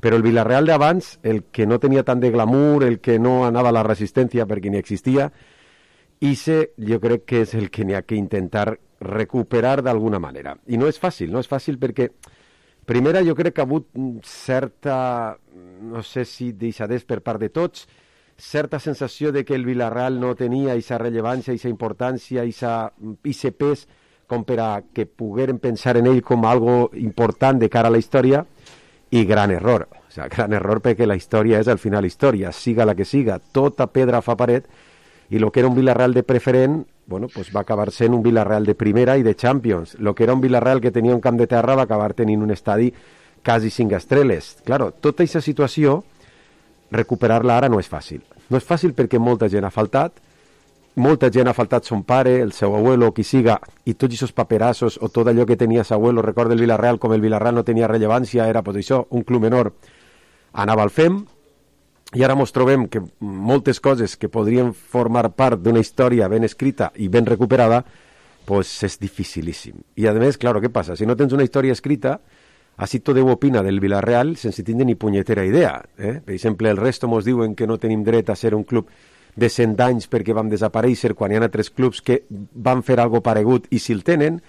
Però el Villarreal d'abans, el que no tenia tant de glamour, el que no anava a la Resistència perquè ni existia, ese jo crec que és el que n'hi ha que intentar recuperar d'alguna manera. I no és fàcil perquè primera, jo crec que ha hagut certa, no sé si deixadès per part de tots, certa sensació de que el Villarreal no tenia aquesta rellevància, aquesta importància, aquest pes com per a que pogueren pensar en ell com algo important de cara a la història, i gran error. O sigui, gran error perquè la història és al final història, siga la que siga, tota pedra fa paret, i el que era un Villarreal de preferent, bueno, pues va acabar sent un Villarreal de primera i de Champions. Lo que era un Villarreal que tenia un camp de terra va acabar tenint un estadi quasi 5 estrelles. Claro, tota aquesta situació, recuperar-la ara no és fàcil. No és fàcil perquè molta gent ha faltat son pare, el seu abuelo, qui siga, i tots aquests paperassos o tot allò que tenia seu abuelo, recorda el Villarreal, com el Villarreal no tenia rellevància, era pues això, un club menor, anava al FEM, i ara ens trobem que moltes coses que podrien formar part d'una història ben escrita i ben recuperada, pues és dificilíssim. I a més, claro, què passa? Si no tens una història escrita, així tothom opina del Villarreal sense tindre ni punyetera idea. Per exemple, el resto ens diuen que no tenim dret a ser un club de 100 anys perquè vam desaparèixer quan hi ha altres clubs que van fer algo paregut i si el tenen,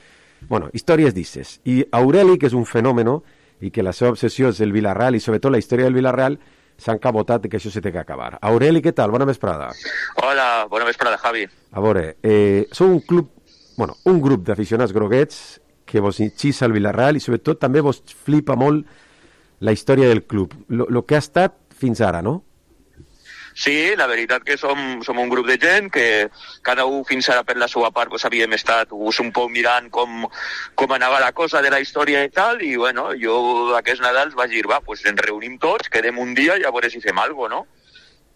bueno, històries d'isses. I Aureli, que és un fenòmeno i que la seva obsessió és el Villarreal i sobretot la història del Villarreal, s'han cabotat que això se té que acabar. Aureli, què tal? Bona vesprada. Hola, bona vesprada, Javi. A veure, sou un club, bueno, un grup d'aficionats groguets que vos xissa el Villarreal i sobretot també vos flipa molt la història del club, lo que ha estat fins ara, no? Sí, la veritat que som un grup de gent que cada un fins ara per la seva part pues, havíem estat un poc mirant com anava la cosa de la història i tal, i bueno, jo aquests Nadals vaig dir, va, pues ens reunim tots, quedem un dia i a veure si fem alguna cosa, no?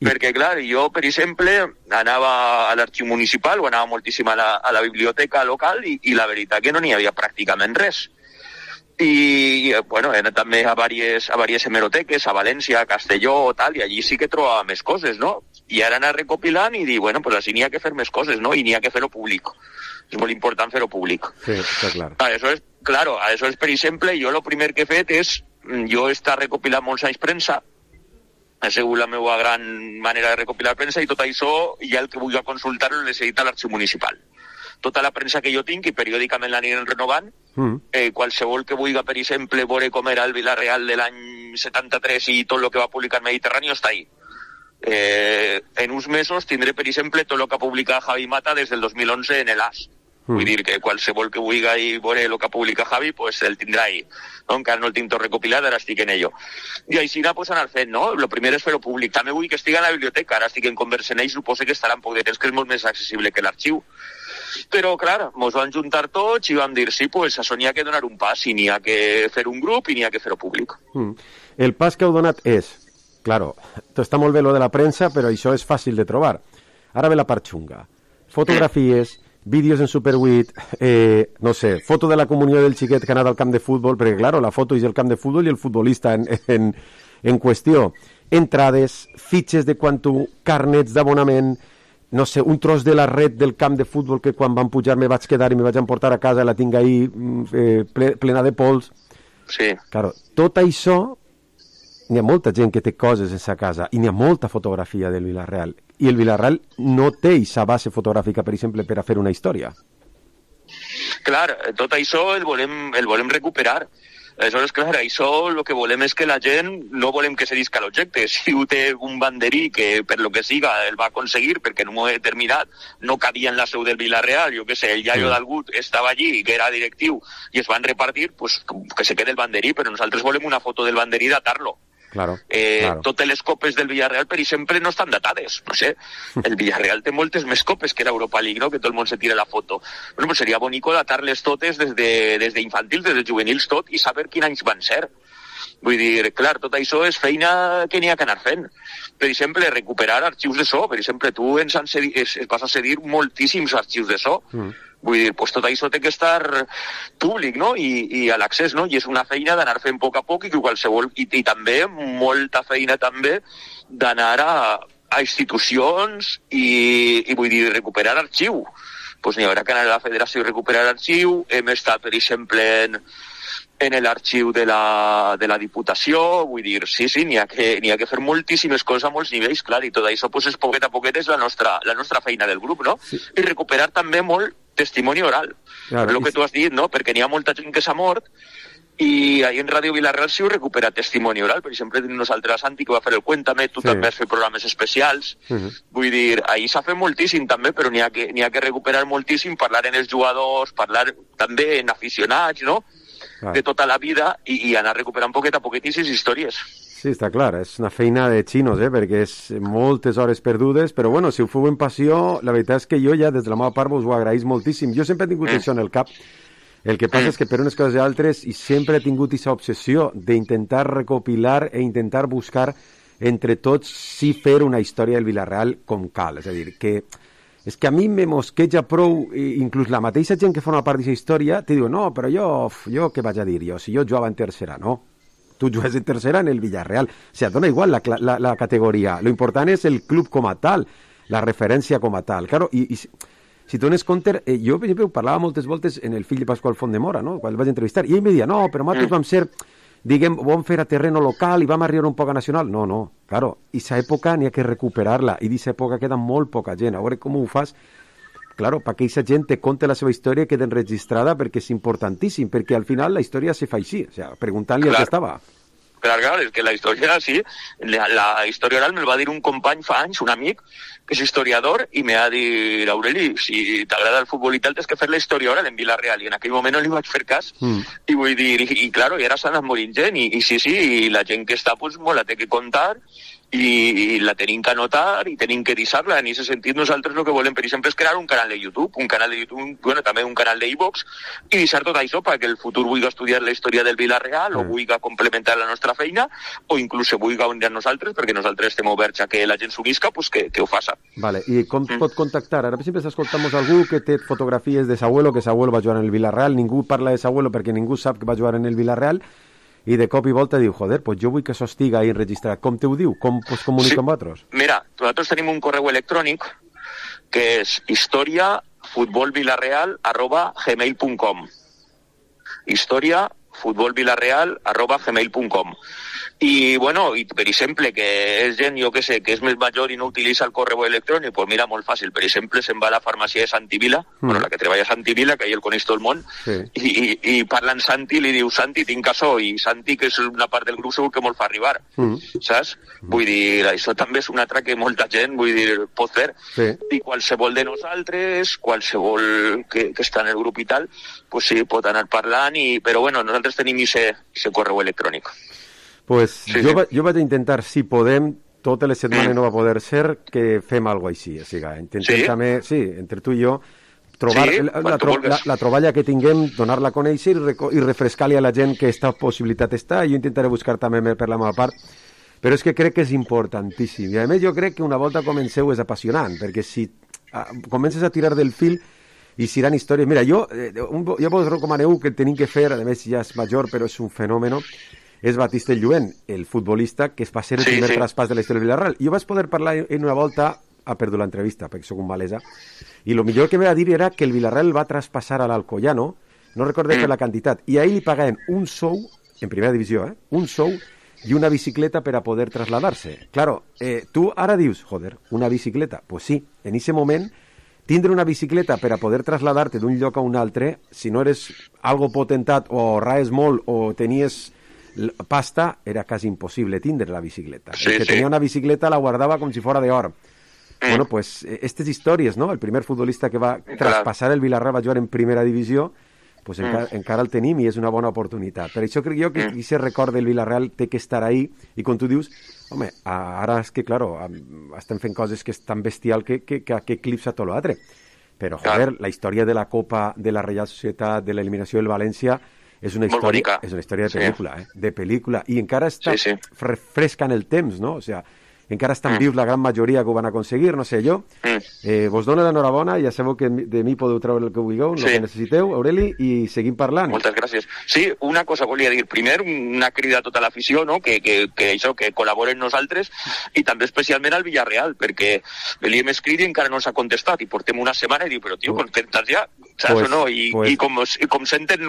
Perquè, clar, jo, per exemple, anava a l'arxiu municipal o anava moltíssim a la biblioteca local i la veritat que no n'hi havia pràcticament res. I, bueno, he anat també a diverses hemeroteques, a València, a Castelló, tal, i allí sí que trobava més coses, no? I ara anar recopilant i dir, bueno, pues així n'hi ha que fer més coses, no? I n'hi ha que fer-ho públic. És molt important fer-ho públic. Sí, està clar. Aleshores, claro, aleshores, per exemple, jo el primer que he fet és, jo he estat recopilant molts anys premsa, ha sigut la meva gran manera de recopilar premsa, i tot això, ja el que vull consultar-ho l'he seguit a l'arxiu municipal. Tota la premsa que jo tinc, i periòdicament l'anirem renovant, qualsevol que vulgui, per exemple, veure com era el Villarreal de l'any 73 i tot el que va publicar Mediterráneo està ahí. En uns mesos tindré, per exemple, tot el que ha publicat Javi Mata des del 2011 en el AS. Vull dir que qualsevol que vulgui veure el que publica Javi, pues el tindrà ahí. No? Encara no el tinc tot recopilat, ara estic en ello. I així pues anar fent, no? Lo primer és fer-ho públic. També vull que estigui a la biblioteca, ara estic en conversa en ell, suposo que estarà en poc de temps, que és molt més accessible que l'arxiu. Però, clar, mos van juntar tots i vam dir, sí, pues això n'hi ha que donar un pas, i n'hi ha que fer un grup i n'hi ha que fer-ho públic. El pas que heu donat és, claro, està molt bé lo de la premsa, però això és fàcil de trobar. Ara ve la part xunga. Fotografies, vídeos en Super 8, no sé, foto de la comunió del xiquet que ha anat al camp de futbol, perquè, claro, la foto és el camp de futbol i el futbolista en qüestió. Entrades, fitxes de quan tu, carnets d'abonament, no sé, un tros de la red del camp de futbol que quan van pujar me vaig quedar i me vaig emportar a casa, la tinc ahí plena de pols. Sí. Claro, tot això, n'hi ha molta gent que té coses en sa casa i n'hi ha molta fotografia del Villarreal. I el Villarreal no té aquesta base fotogràfica, per exemple, per a fer una història. Clar, tot això el volem recuperar. Aleshores, clar, això el que volem és que la gent no volem que se disca l'objecte. Si ho té un banderí que per lo que siga el va aconseguir perquè en un moment determinat no cabia en la seu del Villarreal, jo què sé, el iaio d'algut estava allí, que era directiu, i es van repartir, pues que se quede el banderí, però nosaltres volem una foto del banderí i datar-lo. Claro, totes les copes del Villarreal, per exemple, no estan datades. No sé, el Villarreal té moltes més copes que l'Europa League, no? Que tot el món se tira la foto. Bueno, pues seria bonico datar-les totes des d'infantils, des de juvenils tot, i saber quins anys van ser. Vull dir, clar, tot això és feina que n'hi ha que anar fent. Per exemple, recuperar arxius de so. Per exemple, tu ens vas a cedir moltíssims arxius de so. Vull dir, pues tot això té que estar públic, no? I a l'accés, no? I és una feina d'anar fent a poc i que qualsevol... I també, molta feina també, d'anar a institucions i vull dir, recuperar arxiu. Pues n'hi haurà que anar a la federació i recuperar arxiu. Hem estat, per exemple, en l'arxiu de la Diputació, vull dir, sí, n'hi ha que fer moltíssimes coses a molts nivells, clar, i tot això, pues, poquet a poquet és la nostra feina del grup, no? Sí. I recuperar també molt testimoni oral, claro, el que tu has dit, no? Perquè n'hi ha molta gent que s'ha mort i ahí en Ràdio Villarreal sí ho recupera testimoni oral. Per exemple, tenim nosaltres Santi, que va fer el Cuéntame, tu també has fet programes especials. Vull dir, ahí s'ha fet moltíssim també, però n'hi ha que recuperar moltíssim, parlar en els jugadors, parlar també en aficionats, no? De tota la vida i anar recuperant poquet a poquet aquestes històries. Sí, està clar, és una feina de xinos, perquè és moltes hores perdudes, però bueno, si ho feu en passió, la veritat és que jo ja des de la meva part us ho agraïs moltíssim. Jo sempre he tingut això en el cap. El que passa és que per unes coses i altres i sempre he tingut aquesta obsessió d'intentar recopilar e intentar buscar entre tots sí fer una història del Villarreal com cal. És a dir, que és que a mi me mosqueja prou, inclús la mateixa gent que forma part d'aquesta història, te diu, no, però jo què vaig a dir jo? Si jo jugava en tercera, no? Tu jugues en tercera en el Villarreal. O sigui, dona igual la categoria. Lo important és el club com a tal, la referència com a tal. Claro, i si tu dones compte, jo, per exemple, parlava moltes voltes en el fill de Pasqual Fontdemora, no? Quan el vaig entrevistar, i ell me deia, no, però nosaltres vam ser, diguem, vam fer a terreno local i vam arribar un poc a nacional. No, claro, aquesta època n'hi ha que recuperar-la, i d'aquesta època queda molt poca gent. A veure com ho fas, claro, perquè aquesta gent te conta la seva història i queda enregistrada, perquè és importantíssim, perquè al final la història se fa així, o sigui, preguntant-li al que estava. Clar, és que la història, sí, la història oral me'l va dir un company fa anys, un amic, que és historiador, i me va dir, Aureli, si t'agrada el futbol i tal, tens que fer la història oral en Villarreal, i en aquell moment no li vaig fer cas, i vull dir, i claro, i ara s'ha anat morint gent, i sí, i la gent que està, pues, molt la té que contar, i la tenim que anotar i tenim que deixar-la. En aquest sentit, nosaltres el que volem, per exemple, és crear un canal de YouTube, bueno, també un canal d'iVox, i deixar tot això perquè el futur vulgui estudiar la història del Villarreal o vulgui complementar la nostra feina o inclús se vulgui unir a nosaltres, perquè nosaltres estem oberts a que la gent s'unisca, pues que ho faça. Vale, i com pot contactar? Ara, per exemple, escoltamos algú que té fotografies de Sabuelo, que Sabuelo va jugar en el Villarreal, ningú parla de Sabuelo perquè ningú sap que va jugar en el Villarreal, i de cop i volta diu, joder, pues jo vull que això estiga ahí enregistrat. Com te ho diu? Com es comunica amb vosaltres? Mira, nosaltres tenim un correu electrònic que és historiafutbolvillarreal@gmail.com historiafutbolvillarreal@gmail.com I, bueno, i per exemple, que és gent, jo que sé, que és més major i no utilitza el correu electrònic, pues mira, molt fàcil. Per exemple, se'n va a la farmàcia de Santi Vila, bueno, la que treballa a Santi Vila, que ell el coneix tot el món, i parla amb Santi i li diu, Santi, tinc açò, i Santi, que és una part del grup, segur que molt fa arribar, saps? Vull dir, això també és una altra que molta gent, vull dir, pot fer. I qualsevol de nosaltres, qualsevol que està en el grup i tal, pues sí, pot anar parlant, però bueno, nosaltres tenim ese correu electrònic. Pues jo vaig intentar, si podem, totes les setmanes no va poder ser, que fem alguna cosa així. O sigui, intentem també, entre tu i jo, trobar la troballa que tinguem, donar-la a conèixer i refrescar-li a la gent que aquesta possibilitat està. Jo intentaré buscar també per la meva part, però és que crec que és importantíssim. I a més jo crec que una volta comenceu és apassionant, perquè si comences a tirar del fil i seran històries... Mira, jo vos recomaneu que tenim que fer, a més ja és major, però és un fenomen, és Batiste Lluent, el futbolista que es va ser el primer traspàs de la història del Villarreal. Jo vaig poder parlar en una volta, ha perdut l'entrevista perquè soc un malesa, i el millor que me va dir era que el Villarreal va traspassar a l'Alcoyano, no recordé la quantitat, i a ell li pagaven un sou, en primera divisió, un sou i una bicicleta per a poder trasladar-se. Claro, tu ara dius, joder, una bicicleta? Pues sí, en ese moment, tindre una bicicleta per a poder trasladar-te d'un lloc a un altre, si no eres algo potentat o raes molt o tenies pasta, era quasi impossible tindre la bicicleta. El que tenia una bicicleta la guardava com si fora d'or. Bueno, pues, estas històries, no? El primer futbolista que va traspassar el Villarreal va jugar en primera divisió, pues encara el tenim i és una bona oportunitat. Per això crec jo que qui se recorda el Villarreal té que estar ahí, i com tu dius, home, ara és que, claro, estem fent coses que és tan bestial que eclipsa tot l'altre. Però, joder, la història de la Copa, de la Reial Societat, de l'eliminació del València, és una història de pel·lícula, de pel·lícula, i encara està fresca en el temps, no? O sigui, encara estan vius la gran majoria que ho van aconseguir, no sé, jo vos dono l'enhorabona, ja sabeu que de mi podeu treure el que vulgueu, el que necessiteu, Aureli, i seguim parlant. Moltes gràcies. Sí, una cosa volia dir, primer una crida a tota l'afició, no? que col·laboren nosaltres, i també especialment al Villarreal, perquè li hem escrit i encara no ens ha contestat, i portem una setmana i diu, però tio, contestas ja, saps o no? I com senten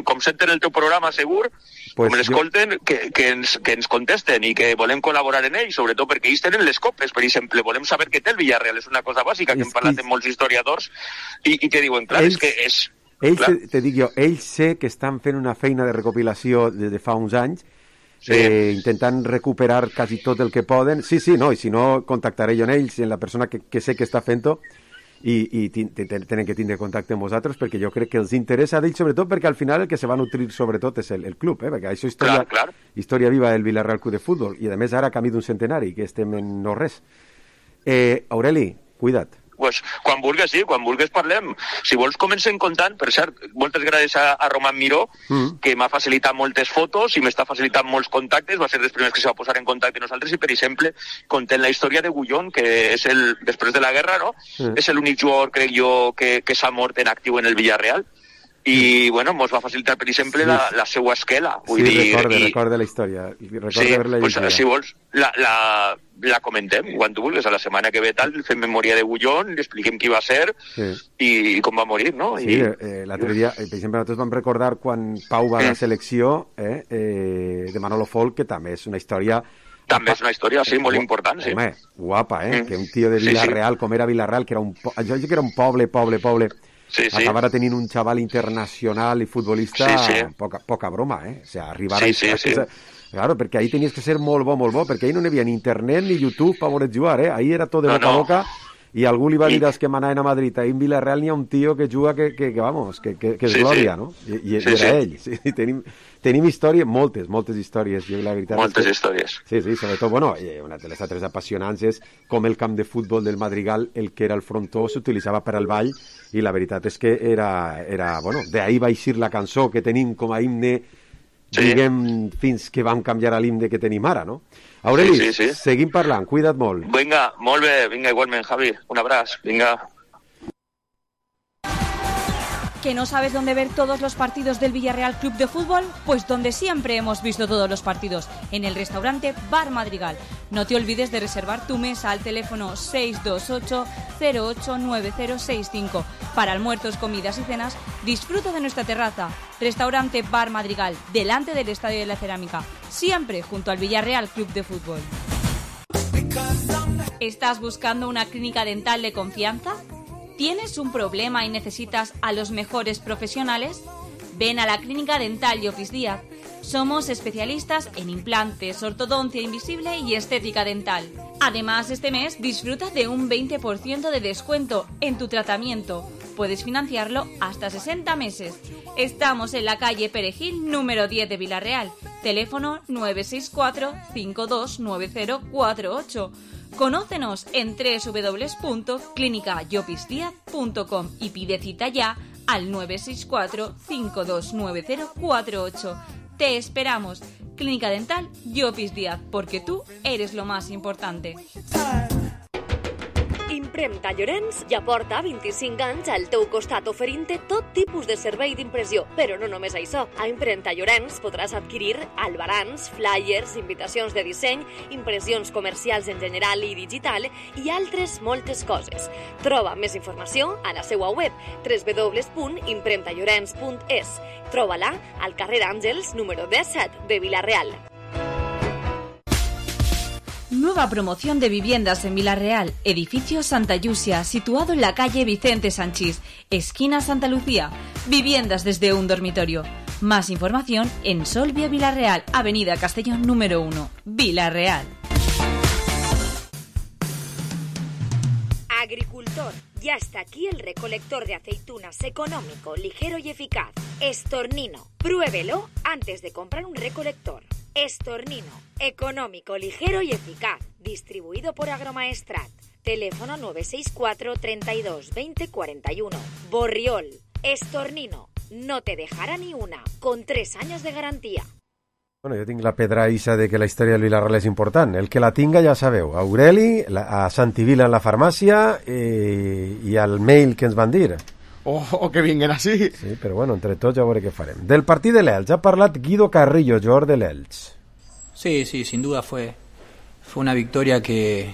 el teu programa segur, com l'escolten, que ens contesten i que volem col·laborar en ell, sobretot perquè ells tenen les copes, per exemple, volem saber què té el Villarreal, és una cosa bàsica que hem parlat amb molts historiadors i que diuen, clar, és que és... Te dic jo, ells sé que estan fent una feina de recopilació des de fa uns anys, intentant recuperar quasi tot el que poden. Sí, no, i si no, contactaré jo en ells, en la persona que sé que està fent-ho, i tenen que tindre contacte amb vosaltres, perquè jo crec que els interessa d'ells, sobretot perquè al final el que se va nutrir sobretot és el club, perquè això és història viva del Villarreal Club de Futbol, i a més ara camí d'un centenari, que estem en no res. Aureli, cuida't. Pues, quan vulgues parlem. Si vols comencem contant, per cert, moltes gràcies a Roman Miró, que m'ha facilitat moltes fotos i m'està facilitant molts contactes, va ser dels primers que se va posar en contacte amb nosaltres, i per exemple, content la història de Gullón, que és després de la guerra, no? És l'únic jugador, crec jo, que s'ha mort en actiu en el Villarreal, i, bueno, mos va facilitar, per exemple, la seva esquela. Recorda la història. Si vols, la comentem, quan tu vulguis, a la setmana que ve tal, fem memòria de Gullón, li expliquem qui va ser i com va morir, no? Sí, l'altre dia, per exemple, nosaltres vam recordar quan Pau va a la selecció de Manolo Folk, que també és una història... També és una història, sí, molt important, sí. Home, guapa, que un tio de Villarreal, com era Villarreal, que era un poble, acabara tenint un xaval internacional i futbolista, poca broma, o sigui, arribar a... Claro, perquè ahí tenies que ser molt bo, perquè ahí no hi havia ni internet ni YouTube per voler jugar, ahí era tot de boca a boca, i algú li va dir als que manaven a Madrid, ahí en Villarreal n'hi ha un tio que juga que és glòria, no? I era ell. Tenim històries, moltes històries, jo la veritat. Moltes històries. Sí, sobretot, bueno, una de les altres apassionants és com el camp de futbol del Madrigal, el que era el frontó, s'utilitzava per al ball, i la veritat és que era bueno, d'ahí va eixir la cançó que tenim com a himne, diguem, fins que vam canviar a l'himne que tenim ara, no? Aureli, seguim parlant, cuida't molt. Vinga, molt bé, vinga, igualment, Javi, un abraç, vinga. ¿Que no sabes dónde ver todos los partidos del Villarreal Club de Fútbol? Pues donde siempre hemos visto todos los partidos, en el restaurante Bar Madrigal. No te olvides de reservar tu mesa al teléfono 628-089065. Para almuerzos, comidas y cenas, disfruta de nuestra terraza. Restaurante Bar Madrigal, delante del Estadio de la Cerámica. Siempre junto al Villarreal Club de Fútbol. ¿Estás buscando una clínica dental de confianza? ¿Tienes un problema y necesitas a los mejores profesionales? Ven a la Clínica Dental Llopis Díaz. Somos especialistas en implantes, ortodoncia invisible y estética dental. Además, este mes disfruta de un 20% de descuento en tu tratamiento. Puedes financiarlo hasta 60 meses. Estamos en la calle Perejil, número 10 de Villarreal. Teléfono 964-529048. Conócenos en www.clinicallopisdiaz.com y pide cita ya al 964-529048. Te esperamos. Clínica Dental Llopis Díaz, porque tú eres lo más importante. Impremta Llorenç ja porta 25 anys al teu costat oferint-te tot tipus de servei d'impressió. Però no només això. A Impremta Llorenç podràs adquirir albarans, flyers, invitacions de disseny, impressions comercials en general i digital i altres moltes coses. Troba més informació a la seva web www.impremtallorens.es. Troba-la al carrer Àngels, número 17 de Villarreal. Nueva promoción de viviendas en Villarreal, edificio Santa Yusia, situado en la calle Vicente Sanchís, esquina Santa Lucía. Viviendas desde un dormitorio. Más información en Solvia Villarreal, avenida Castellón número 1, Villarreal. Agricultor, ya está aquí el recolector de aceitunas económico, ligero y eficaz. Estornino. Pruébelo antes de comprar un recolector. Estornino, económico, ligero y eficaz. Distribuido por Agromaestrat. Teléfono 964 32 20 41. Borriol. Estornino. No te dejará ni una. Con 3 años de garantía. Bueno, jo tinc la pedra isa de que la història del Villarreal és important. El que la tinga ja sabeu. Aureli, a Santivila en la farmàcia i al mail que ens van dir. O que vinguen així. Sí, però bueno, entre tots ja veuré què farem. Del partit de l'Elx ha parlat Guido Carrillo, jugador de l'Elx. Sí, sin duda fue una victoria que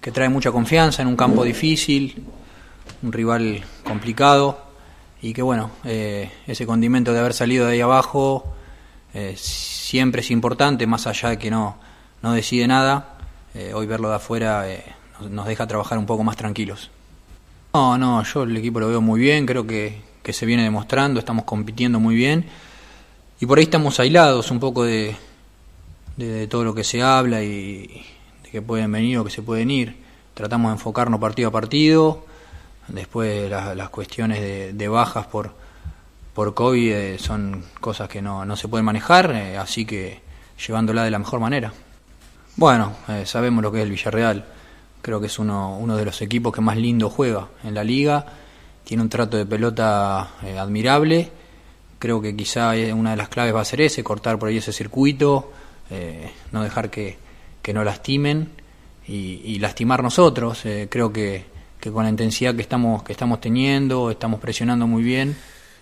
trae mucha confianza en un campo difícil, un rival complicado y que bueno, ese condimento de haber salido de ahí abajo siempre es importante, más allá de que no decide nada. Hoy verlo de afuera nos deja trabajar un poco más tranquilos. No, yo el equipo lo veo muy bien, creo que se viene demostrando, estamos compitiendo muy bien y por ahí estamos aislados un poco de todo lo que se habla y de que pueden venir o que se pueden ir. Tratamos de enfocarnos partido a partido, después las cuestiones de bajas por COVID son cosas que no se pueden manejar, así que llevándola de la mejor manera. Bueno, sabemos lo que es el Villarreal. Creo que es uno de los equipos que más lindo juega en la liga. Tiene un trato de pelota admirable. Creo que quizá una de las claves va a ser ese, cortar por ahí ese circuito, no dejar que nos lastimen y lastimar nosotros. Creo que con la intensidad que estamos teniendo, estamos presionando muy bien.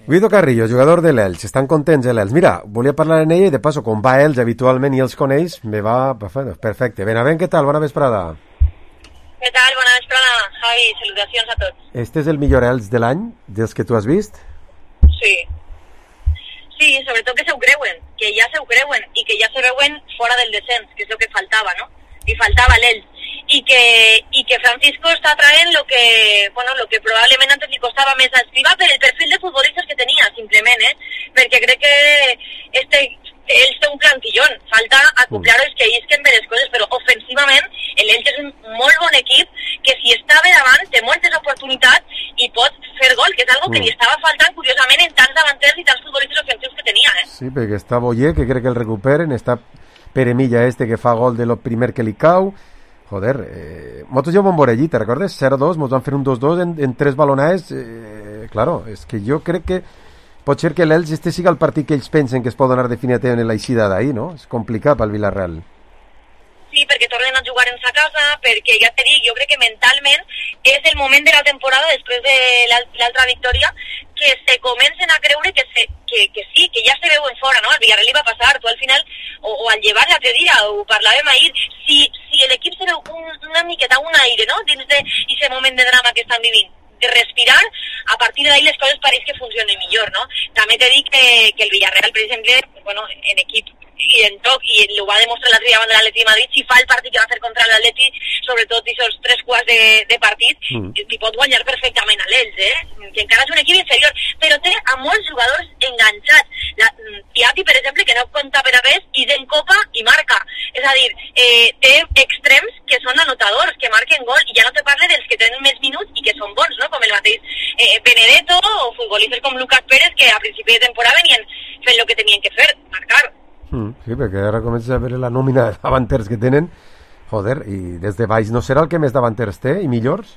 Guido Carrillo, jugador de l'Elx, estan contents a l'Elx. Mira, volia parlar amb ell i de passo, com va Elx habitualment i els coneix, me va perfecte. Benavent, què tal? Bona vesprada. Què tal? Bona vesprada, Javi. Salutacions a tots. Este és el millor Elx de l'any, dels que tu has vist? Sí. Sí, sobretot que se ho creuen, que ja se ho creuen i que ja se veuen fora del descens, que és el que faltava, no? Li faltava l'Elx. I que Francisco està traient lo que probablement antes li costava més a Escrivá per el perfil de futbolistes que tenia, simplement, perquè crec que ells té un plantillón, falta acoplar els que isquen bé les coses, però ofensivament l'Elx és un molt bon equip que si està bé davant té moltes oportunitats i pot fer gol, que és algo que li estava faltant curiosament en tants davanters i tants futbolistes ofensius que tenia. Sí, perquè està Boyer, que crec que el recuperen, està Pere Milla que fa gol de lo primer que li cau. Joder, nosaltres ja ho vam veure allí, te recordes? 0-2, ens van fer un 2-2 en 3 balonades. Claro, és que jo crec que pot ser que l'Elx siga el partit que ells pensen que es pot donar definitivament en l'eixida d'ahir, no? És complicat pel Villarreal. Sí, perquè tornen a jugar en sa casa, perquè ja t'he dit, jo crec que mentalment és el moment de la temporada, després de l'altra victòria, que se comencen a creure que sí, que ja se veuen fora, no? Al Villarreal li va passar, tu al final, o al llevar l'altre dia, ho parlàvem ahir, si l'equip se veu una miqueta, un aire, no?, dins d'aquest moment de drama que estan vivint, de respirar, a partir d'ahir les coses pareix que funcionen millor, no? També t'he dit que el Villarreal, per exemple, bueno, en equip i en toc, i ho va demostrar l'altre dia davant de l'Atleti de Madrid, si fa el partit que va fer contra l'Atleti, sobretot aquests 3 quarts de partit, t'hi pot guanyar perfectament a l'Elx, que encara és un equip inferior, però té a molts jugadors enganxats. Piatti, per exemple, que no compta per a res, i en Copa i marca. És a dir, té extrems que són anotadors, que marquen gol, i ja no te parle dels que tenen més minuts i que són bons, no?, com el mateix Benedetto o futbolistes com Lucas Pérez, que a principi de temporada venien fent el que tenien que fer, marcar. Sí, perquè ara comença a veure la nòmina de davanters que tenen. Joder, i des de baix no serà el que més davanters té i millors?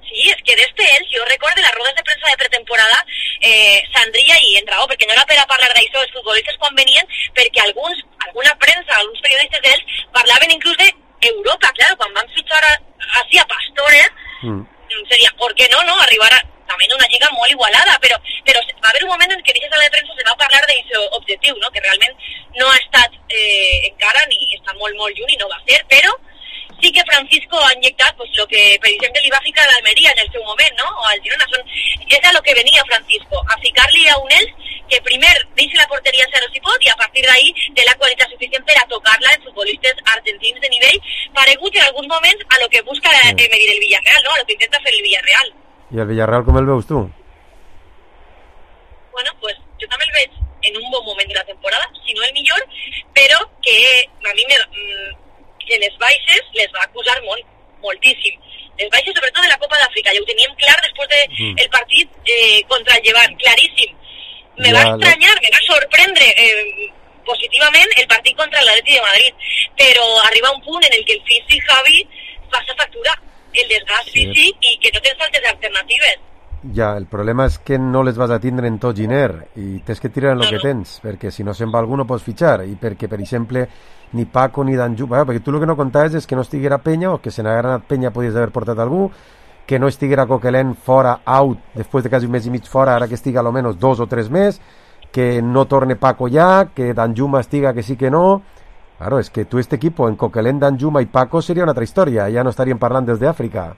Sí, és que d'este ells, jo recordo les rodes de premsa de pretemporada, Sandria i en raó, perquè no era per a parlar d'això, els futbolistes quan venien, perquè alguna premsa, alguns periodistes d'ells parlaven inclús d'Europa, clar, quan van fitxar així a Pastore, seria, ¿por qué no, arribar a també en una lliga molt igualada, però va haver un moment en què a la sala de premsa se va parlar d'aquest objectiu, no?, que realment no ha estat encara, ni està molt, molt lluny, i no va ser, però sí que Francisco ha inyectat pues, lo que, per exemple, li va ficar a l'Almeria en el seu moment, no?, o al Girona, és a lo que venia Francisco, a ficar-li a un Elx que primer deixi la porteria a zero si pot, i a partir d'ahí té la qualitat suficient per a tocar-la en futbolistes argentins de nivell, paregut en alguns moments a lo que busca Emery del Villarreal, no?, a lo que intenta fer el Villarreal. I el Villarreal com el veus tu? Bueno, pues jo també el veig en un bon moment de la temporada, si no el millor, però que a mi que les baixes les va acusar moltíssim. Les baixes sobretot de la Copa d'Àfrica, ja ho teníem clar després del partit contra el Llevant, claríssim. Me va estranyar, me va sorprendre positivament el partit contra l'Atleti de Madrid, però arriba un punt en el que el físic Javi passa factura, el desgast físic, i que no tens altres alternatives. Ja, el problema és que no les vas a tindre en tot giner i tens que tirar en el que tens, perquè si no se'n va algú no pots fitxar, i perquè, per exemple, ni Paco ni Danjuma, perquè tu el que no contaves és que no estiguera Peña, o que se n'haguera anat Peña podies haver portat algú, que no estiguera Coquelin fora, out, després de quasi un mes i mig fora, ara que estiga almenys 2 o 3 més, que no torne Paco ja, que Danjuma estiga que sí que no. Claro, es que tu este equipo en Coquelin, Danjuma i Paco seria una altra història, ja no estaríem parlant des d'Àfrica.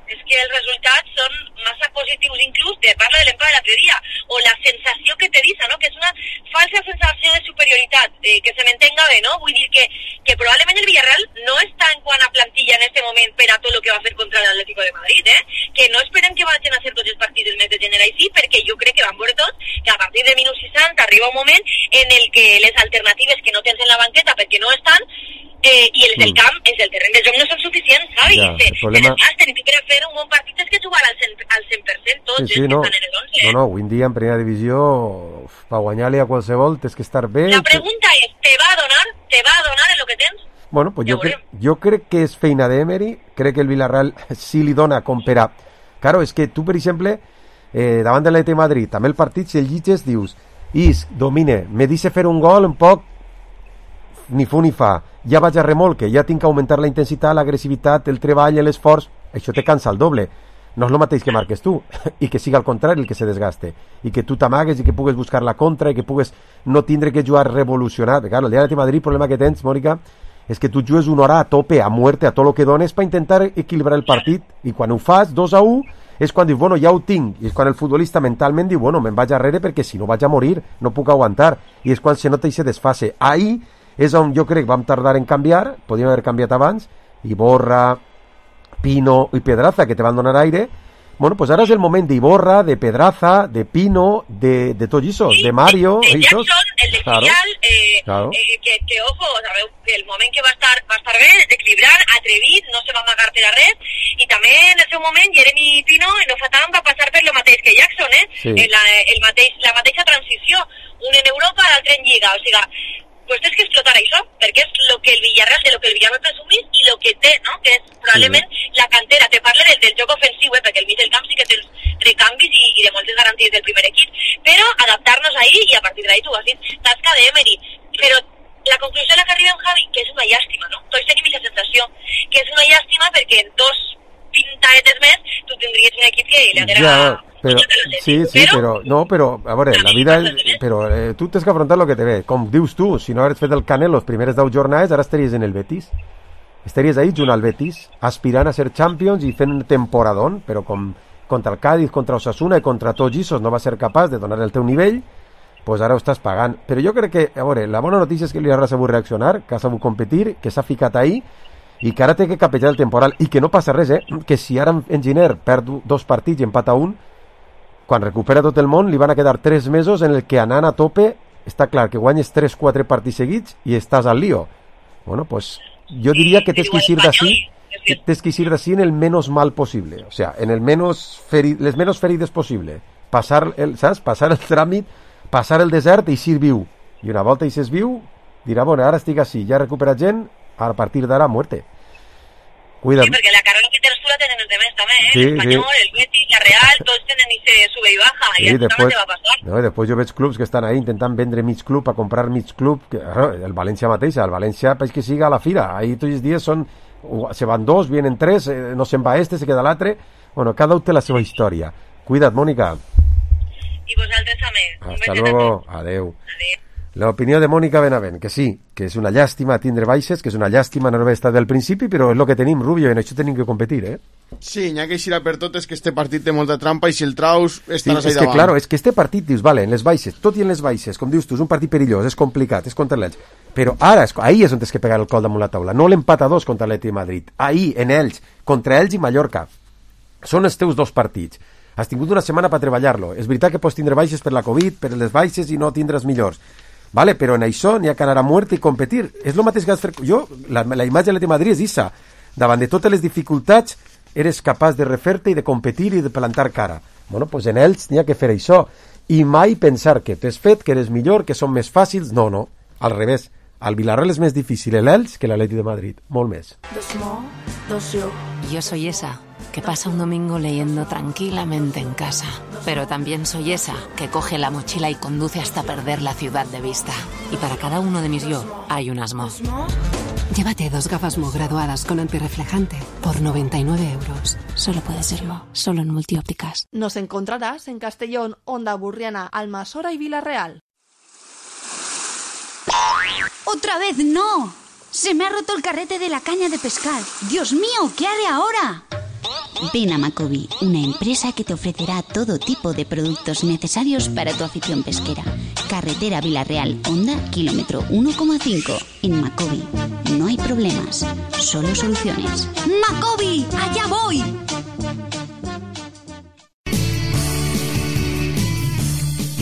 És que els resultats són massa positius, inclús de parla de l'empat de l'altre dia, o la sensació que te deixa, no?, que és una falsa sensació de superioritat, que se m'entenga bé, no? Vull dir que probablement el Villarreal no està en quant a plantilla en este moment per a tot el que va fer contra l'Atlético de Madrid, que no esperem que vagin a fer tots els partits del mes de gener així, perquè jo crec que van veure tots que a partir de minut 60 arriba un moment en el que les alternatives que no tens en la banqueta perquè no estan, i els del camp, els del terreny de joc no són suficients, saps? Ja, el problema... I per a fer un bon partit és que jugar al 100% tots, sí, que no. estan en el 11. No, avui en dia en primera divisió, per guanyar-li a qualsevol tens que estar bé. La pregunta és, te va a donar en el que tens? Bueno, pues jo crec que és feina d'Emery, crec que el Villarreal sí li dona com per a... Claro, és que tu, per exemple, davant de l'Atleti de Madrid, també el partit, si el llitges, dius, domine, me deixa fer un gol un poc ni fu ni fa, ja vaig a remolque, ja tinc que augmentar la intensitat, l'agressivitat, el treball, l'esforç, això te cansa el doble. No és el mateix que marques tu, i que siga al contrari el que se desgaste, i que tu t'amagues i que pugues buscar la contra, i que pugues no tindre que jugar revolucionat. Claro, el dia de Madrid, el problema que tens, Mònica, és que tu jugues una hora a tope, a muerte, a tot el que dones per intentar equilibrar el partit, i quan ho fas 2-1, és quan dius, bueno, ja ho tinc, i és quan el futbolista mentalment diu, bueno, me'n vaig arrere perquè si no vaig a morir, no puc aguantar, i és quan se nota i se desfase. Ahí és on jo crec que vam tardar en canviar, podíem haver canviat abans, Iborra, Pino i Pedraza, que te van donar aire. Bueno, pues ara és el moment d'Iborra, de Pedraza, de Pino, de tots aquests, de Mario... De Jackson, el de Filial, claro. Que ojo, sabeu, que el moment que va estar bé, desequilibrant, atrevit, no se va amagar per a res, i també en el seu moment Jeremy Pino no fa tant va passar per lo mateix que Jackson, Sí. La mateixa transició, un en Europa, l'altre en Lliga, o sigui, pues tens que explotar això, perquè és lo que el Villarreal, de lo que el Villarreal presumís i lo que té, no?, que és probablement la cantera. Te parle del joc ofensiu, perquè el mig del camp sí que tens recanvis i de moltes garanties del primer equip, però adaptar-nos ahí i a partir d'ahí tu has dit tasca d'Emery. Però la conclusió a la que arriba en Javi, que és una llàstima, no? Tots tenim aquesta sensació, que és una llàstima perquè en 2 pintadetes més tu tindries un equip que li haguera... Però, sí, però, a veure, la vida... Però tu tens que afrontar el que te ve. Com dius tu, si no hagués fet el Canelo les primeres 10 jornades, ara estaries en el Betis. Estaries ahí junt al Betis, aspirant a ser Champions i fent un temporadón, però com contra el Cádiz, contra Osasuna i contra tots Gisos no va ser capaç de donar el teu nivell, pues ara ho estàs pagant. Però jo crec que, a veure, la bona notícia és que l'Iarra ha sabut reaccionar, que ha sabut competir, que s'ha ficat ahí i que ara té que capejar el temporal i que no passa res, que si ara en Giner perd 2 partits i empata 1, quan recupera tot el món li van a quedar 3 mesos en el que anant a tope està clar que guanyes 3-4 partits seguits i estàs al lío. Bueno, pues yo diría que tienes que ir así en el menos mal posible, o sea, en el les menos ferides posible, pasar el tràmit, passar el desert i ser viu, i una volta i ses viu dirà, bueno, ara estic així, ja he recuperat gent, a partir d'ara muerte. Cuida't. Sí, perquè la carrera que tens tu la tenen els demés també, l'Espanyol, el Betis, la Real, tots tenen ese sube i baja, i això també te va passar. No, després jo veig clubs que estan ahí intentant vendre mig club, a comprar mig club, que, el València mateix, el València pues que siga a la fira, ahí tots els dies se van 2, vienen 3, no se'n va se queda l'altre, bueno, cada un té la seva història. Cuida't, Mònica. I vosaltres també. Hasta luego, adeu. L'opinió de Mònica Benavent, que sí, que és una llàstima tindre baixes, que és una llàstima no haver estat del principi, però és el que tenim, Rubio, i en això tenim que competir, Sí, n'hi ha que eixir per tot, és que este partit té molta trampa i si el traus estaràs ahí davant. Claro, és que este partit, dius, vale, en les baixes, tot i en les baixes, com dius tu, és un partit perillós, és complicat, és contra l'Elx, però ara, ahí és on tens que pegar el col damunt la taula, no l'empat a 2 contra l'Atlètic de Madrid, ahí, en Elx, contra Elx i Mallorca, són els teus 2 partits. Has tingut una setmana per treballar-lo. És veritat que pots tindre baixes per la Covid, per les baixes i no tindràs millors. Vale, però en això n'hi ha que anar a muerte i competir. És el mateix que has fet... Jo, la imatge de l'Atlètic de Madrid és issa. Davant de totes les dificultats, eres capaç de refer-te i de competir i de plantar cara. Bueno, pues en ells n'hi ha que fer això. I mai pensar que t'has fet, que eres millor, que són més fàcils. No, no. Al revés. Al Villarreal es más difícil el Elx que el Atleti de Madrid. Molt més. Yo soy esa que pasa un domingo leyendo tranquilamente en casa. Pero también soy esa que coge la mochila y conduce hasta perder la ciudad de vista. Y para cada uno de mis yo hay un Asmo. Llévate 2 gafas Mo graduadas con antirreflejante por 99 euros. Solo puede ser Mo, solo en Multiópticas. Nos encontrarás en Castellón, Onda Burriana, Almasora y Villarreal. ¡Otra vez no! Se me ha roto el carrete de la caña de pescar. ¡Dios mío! ¿Qué haré ahora? Ven a Macobi, una empresa que te ofrecerá todo tipo de productos necesarios para tu afición pesquera. Carretera Villarreal, Honda, kilómetro 1,5. En Macobi no hay problemas, solo soluciones. ¡Macobi! ¡Allá voy!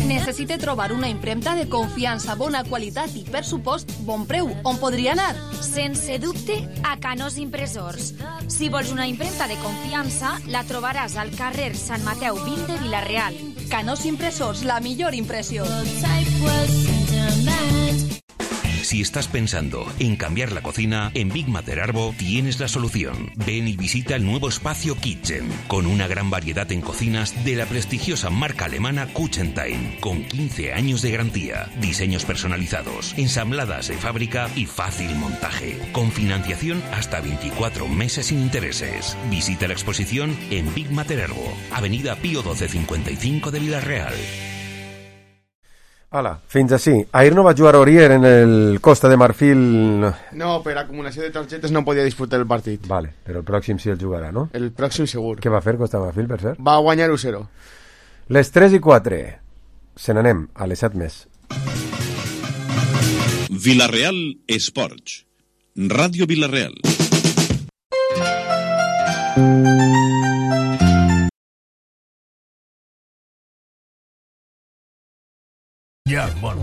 Necessite trobar una impremta de confiança, bona qualitat i, per supost, bon preu. On podria anar? Sense dubte, a Canós Impressors. Si vols una impremta de confiança, la trobaràs al carrer Sant Mateu 20 de Vila-real. Canós Impressors, la millor impressió. Si estás pensando en cambiar la cocina, en Big Mater Arbo tienes la solución. Ven y visita el nuevo espacio Kitchen, con una gran variedad en cocinas de la prestigiosa marca alemana Kuchentime, con 15 años de garantía, diseños personalizados, ensambladas de fábrica y fácil montaje, con financiación hasta 24 meses sin intereses. Visita la exposición en Big Mater Arbo, Avenida Pío 1255 de Vila-real. Hola, fins així. Ahir no va jugar Orier en el Costa de Marfil. No, per acumulació de targetes no podia disputar el partit. Vale, però el pròxim sí el jugarà, no? El pròxim segur. Què va fer Costa de Marfil, per cert? Va guanyar 1-0. Les 3:04. Se n'anem a les 7 més. Vila-real Esports. Ràdio Vila-real. Ja, bueno,